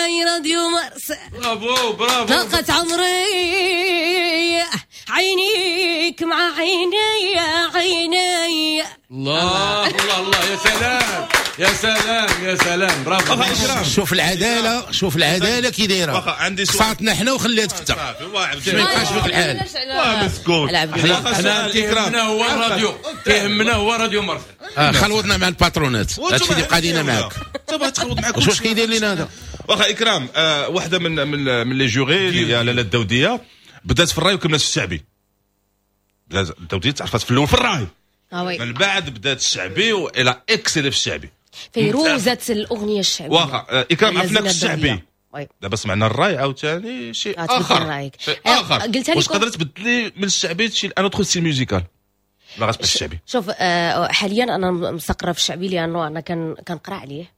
يا راديو مارس. برافو برافو. تلاقت عمري عينيك مع عيني عيني. الله الله الله يا سلام يا سلام يا سلام برافو. شوف العدالة، شوف العدالة كي دايرة. عندي سؤال. صاتنا حنا وخلاتك انت. ما يبقاش فيك الحال. حنا تيهمنا هو الراديو، تيهمنا هو راديو مارس. خلوطنا مع الباترونات، هادشي اللي بقى لينا معاك. انت تخلط معاك. واش كيدير لينا هذا؟ واخا اكرام، واحدة من من من les jurés اللي هي لاله الداوديه بدات في الراي وكملت في الشعبي. الداوديه تعرفت في الاول في الراي، من بعد بدات الشعبي والى excellé في الشعبي، فيروزة الاغنية الشعبية. واخا اكرام عرفناك الشعبي، دابا سمعنا الراي عاوتاني شيء اخر، شيء اخر. قلتها لكم واش قدرت تبدلي من الشعبي شي un autre style musical؟ لا غتبقى الشعبي. شوف حاليا انا مستقره في الشعبي لانه انا كنقرا عليه.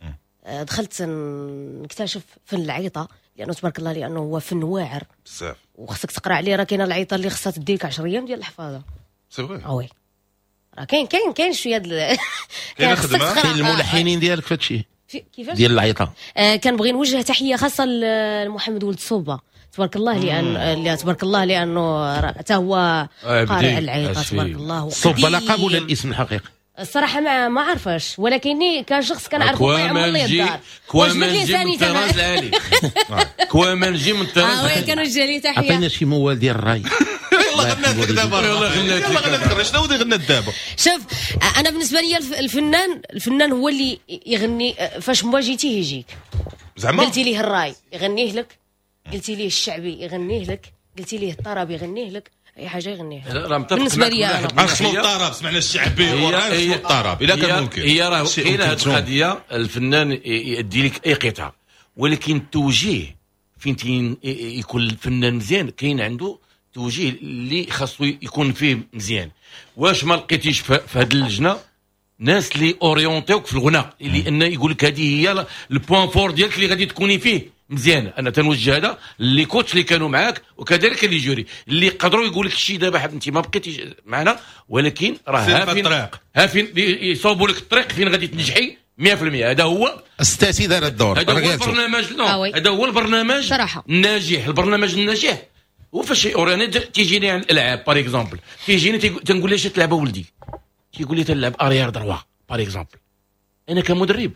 دخلت نكتشف فن العيطه لانه تبارك الله لانه هو فن واعر بزاف وخصك تقرا عليه. راه كاينه العيطه اللي خصها تديك 10 ايام ديال الحفاظه. c'est vrai oui راه كاين كاين كاين شوية كاين خدمة. كاين الملحنين ديالك في هادشي كيفاش ديال العيطه. كنبغي نوجه تحية خاصة لمحمد ولد صوبه تبارك الله، لان تبارك الله لانه حتى هو قارئ العيطه تبارك الله. صوبه لقب ولا الاسم الحقيقي؟ الصراحة ما عرفاش، ولكني كشخص كنعرفو يعمر لي الدار. كوامنجي من الطراز العالي، كوامنجي من الطراز العالي. كنوجه ليه تحية. عطينا شي موال ديال الراي. يلا غنات لك دابا، يلا غنات لك. شنو اللي غنات دابا؟ شوف انا بالنسبة لي الفنان هو اللي يغني فاش ما جيتيه يجيك. زعما قلتي ليه الراي يغنيه لك، قلتي ليه الشعبي يغنيه لك، قلتي ليه الطرب يغنيه لك، اي حاجة يغنيها. بالنسبة لي انا خصو الطرب، سمعنا الشعبي والراي خصو الطرب الا كان ممكن. هي راه كاينه هذه القضية، الفنان يدي لك اي قطعه، ولكن التوجيه فين يكون الفنان مزيان كاين عنده توجيه اللي خاصو يكون فيه مزيان. واش ما لقيتيش في هذه اللجنة ناس اللي orienter وك في الغناء، لان يقول لك هذه هي ال point fort ديالك اللي غادي تكوني فيه مزيان. انا تنوجه هذا les coachs اللي كانوا معاك وكذلك les jurys اللي قدروا يقول لك شي دابا انت ما بقيتيش معنا، ولكن راه ها فين يصوبوا لك الطريق فين غادي تنجحي 100%. هذا هو الستاتي دار الدور، هذا هو البرنامج. هذا هو البرنامج صراحة الناجح، البرنامج الناجح. وفاش انا تيجيني عن الالعاب par exemple، تيجيني تنقول له اش تلعب ولدي، تيقول لي تنلعب arrière droit par exemple. انا كمدرب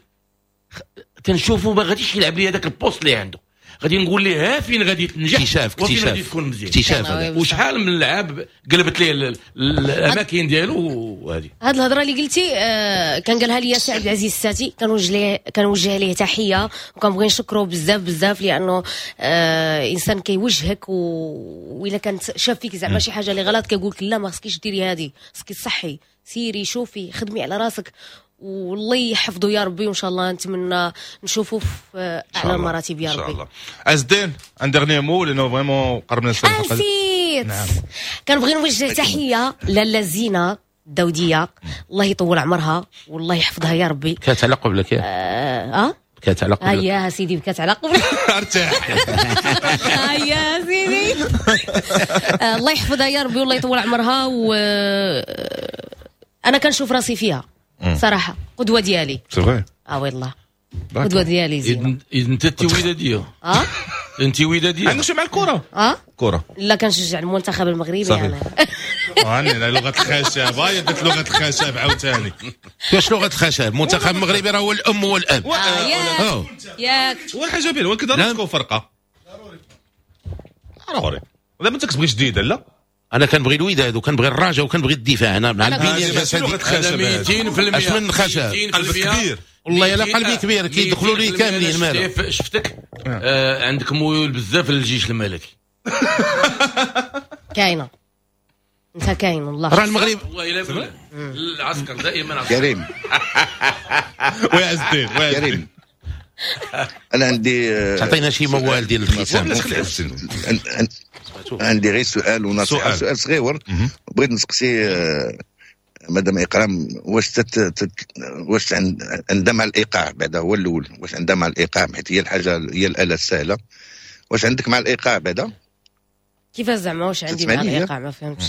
تنشوفو ما غاديش يلعب لي هذاك ال poste اللي عنده. غادي نقول ليه فين غادي تنجح، اكتشاف، وفين غادي تكون مزيان، اكتشاف. وشحال من لعاب قلبت ليه الاماكن ديالو. وهذه هاد الهضرة اللي قلتي كان قالها لي سي عبد العزيز الساتي، كنوجه ليه تحية وكنبغي نشكره بزاف بزاف، لانه انسان كيوجهك، والا كانت شاف فيك زعما شي حاجة اللي غلط كيقول لك لا ما خصكيش ديري هذه، خصك تصحي، سيري شوفي خدمي على راسك، والله يحفظه يا ربي، وان شاء الله نتمنى نشوفه في اعلى المراتب يا ربي ان شاء الله. عز الدين un dernier mot لانه vraiment قربنا نسالي. نسيت. نعم. كنبغي نوجه تحية لاله زينة الدوديه، الله يطول عمرها والله يحفظها يا ربي. كانت على قبلك يا كانت على قبلك. هيا سيدي بكات على قبلك. ارتاح. هيا سيدي. الله يحفظها يا ربي والله يطول عمرها، و انا كنشوف راسي فيها صراحة قدوة ديالي. c'est vrai. والله قدوة ديالي زينة. انت وداديه. انت وداديه. عندك شي مع الكره؟ كره. لا كنشجع المنتخب المغربي انا. انا لغة الخشب، هاي درت لغة الخشب عاوتاني. واش لغة الخشب؟ المنتخب المغربي راه هو الام والاب. ياك والحاجة باينة، ولكن ضروري تكون فرقه. ضروري. دابا انت كتبغي جديدة؟ لا انا كنبغي الوداد وكنبغي الرجاء وكنبغي الدفاع. انا مع البنية الجسدية. 200% اش من خشب؟ قلبك كبير والله الا قلبي كبير، كيدخلوا لي كاملين. مالك شفتك عندك ميول بزاف للجيش الملكي. كاينه انت، كاين والله. راه المغرب والله الا العسكر دائما كريم. ويا عز الدين، ويا كريم، انا عندي تعطينا شي موال ديال الختام. عندي غير سؤال ونصيحة، سؤال صغير بغيت نسقسي مدام إكرام، واش واش عندها مع الايقاع بعدا؟ هو الاول، واش عندها مع الايقاع؟ حيت هي الحاجة، هي الاله السهلة. واش عندك مع الايقاع بعدا؟ كيفاش زعما واش عندي مع الايقاع؟ ما فهمتش.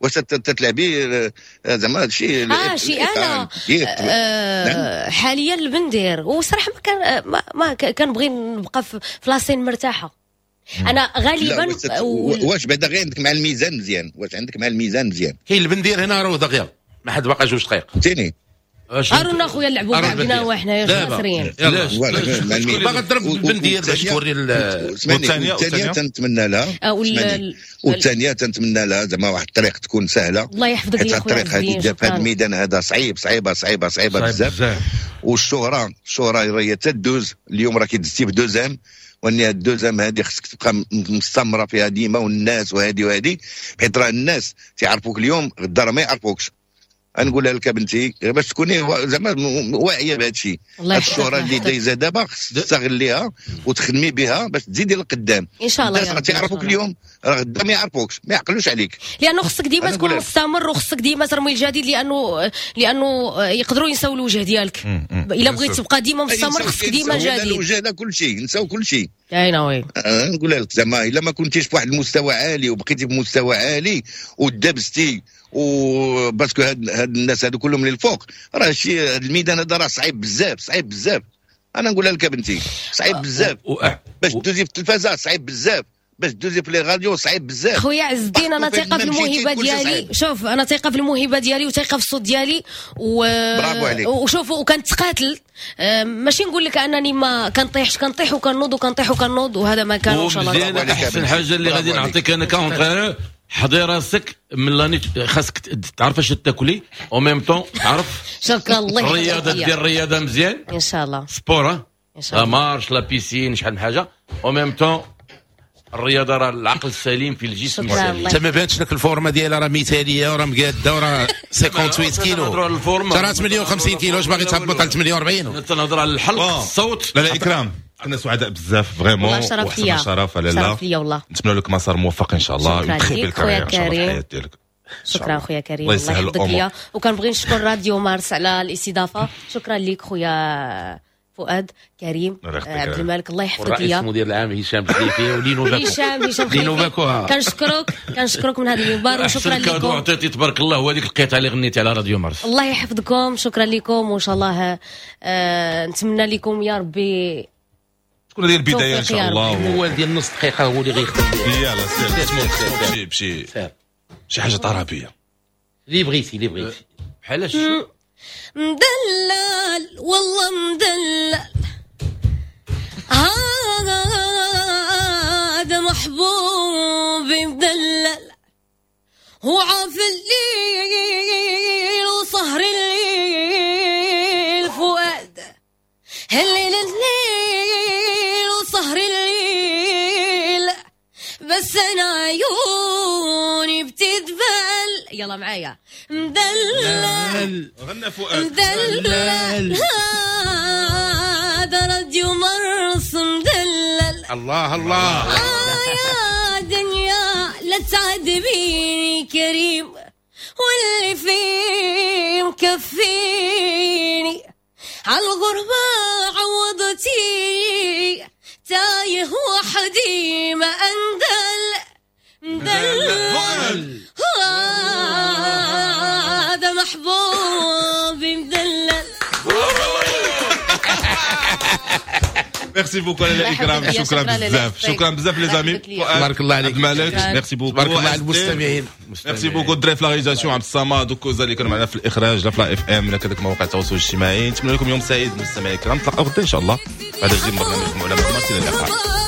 واش تتلعبي زعما هادشي؟ شي انا حاليا البندير، وصراحة ما كان ما كنبغي نبقى في la scène مرتاحة انا غالبا. واش بعدا غير عندك مع الميزان مزيان؟ واش عندك مع الميزان مزيان؟ كاين البندير هنا راه دغيا، ما حد باقي 2 دقائق. فهمتيني؟ هارون اخويا نلعبوا بعدنا وحنايا خاسرين. باغا تضرب البندير باش توري. والثانية تنتمنى لها، والثانية تنتمنى لها زعما واحد الطريق تكون سهلة. الله يحفظك يا خويا. الطريق هذه في هذا الميدان هذا صعيب، صعيبة صعيبة صعيبة بزاف. والشهرة، الشهرة هي تدوز. اليوم راه كيدزتي بدوزام، وان هاد الدوزام هادي خصك تبقى مستمرة فيها ديما، والناس وهادي وهادي، حيت راه الناس تيعرفوك اليوم، غدا راه ما يعرفوكش. نقولها لك بنتي باش تكوني زعما واعية بهذا الشيء. هاد الشهرة اللي دايزه دابا خصك تستغليها وتخدمي بها باش تزيدي للقدام ان شاء الله. الناس راه تيعرفوك اليوم، راه غدا ما يعرفوكش، ما يعقلوش عليك، لانه خصك ديما تكون مستمر، وخصك ديما ترمي الجديد، لانه يقدروا ينساو الوجه ديالك. الا بغيت تبقى ديما مستمر خصك ديما جديد. الوجه لا كل شيء، نساو كل شيء. كاينه oui. نقولها لك زعما الا ما كنتيش في واحد المستوى عالي وبقيتي في مستوى عالي ودبستي، و parce que هاد الناس هادو كلهم اللي الفوق، راه شي هاد الميدان هذا راه صعيب بزاف، صعيب بزاف. انا نقولها لك بنتي صعيب بزاف باش دوزي في التلفازه، صعيب بزاف باش دوزي في les radios، صعيب بزاف. خويا عز الدين انا ثقة في الموهبة ديالي. شوف انا ثقة في الموهبة ديالي وثقه في الصوت ديالي برافو عليك. وشوف وكنتقاتل، ماشي نقول لك انني ما كنطيحش، كنطيح وكنوض وكنطيح وكنوض، وهذا ما كان ان شاء الله. احسن حاجة اللي غادي نعطيك انا ك entraîneur، حضي راسك من l'année، خاصك تعرف اش تاكلي au même temps تعرف. شكرا الله. الرياضة، دير الرياضة مزيان ان شاء الله، sport ان شاء الله، la marche la piscine شحال من حاجة au même temps الرياضة راه العقل السليم في الجسم السليم. انت ما بانتش لك ال forme ديالها راه مثاليه وراه مقاده وراه 58 كيلو، راه 58 كيلو، واش باغي تهبط على 48؟ تنهضر على الحلق، الصوت. لا لا اكرام، كنا سعداء بزاف vraiment، وحسن شرف لاله، شرف ليا والله. نتمنى لك مسار موفق ان شاء الله، شكرا لك خويا كريم، شكرا خويا كريم، الله يحفظك ليا. وكنبغي نشكر راديو مارس على الاستضافة، شكرا لك خويا فؤاد كريم عبد الملك، الله يحفظك ليا. الرئيس المدير العام هشام خليفي ولينو باكو، هشام خليفي، كنشكرك من هذا المنبر، وشكرا لكم. عطيتي تبارك الله، وهذيك القطعة اللي غنيتي على راديو مارس، الله يحفظكم، شكرا لكم، وان شاء الله نتمنى لكم يا ربي تكون هذه البداية ان شاء الله. هو ديال نص دقيقة هو اللي غيخدم. يلاه سير بشي شي حاجة طرابيه اللي بغيتي، اللي بغيتي بحال مدلل والله مدلل. محبوبي مدلل، وعاف الليل وسهر الليل فؤاد، الليل الليل وسهر الليل، بس انا عيوني بتدبل. يلا معايا مدلل غنى فؤاد مدلل، هذا راديو مرس مدلل. الله الله يا دنيا لا تعذبيني كريم، واللي فيه مكفيني، عالغربة عوضتيني، تايه وحدي ما أندل مدلل، هذا محبوبي مدلل. merci beaucoup على الاكرام، شكرا بزاف، شكرا بزاف les amis، تبارك الله عليك مالك، merci beaucoup، تبارك الله على المستمعين، merci beaucoup الدراري في la réalisation عبد الصمد وكوزا اللي كانوا معنا في الاخراج لا في la FM لا كذلك مواقع التواصل الاجتماعي. نتمنى لكم يوم سعيد مستمعي الكرام، نتلاقاو غدا ان شاء الله بعد جديد من برنامجكم علماء مارس. الى اللقاء.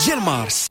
ديال مارس.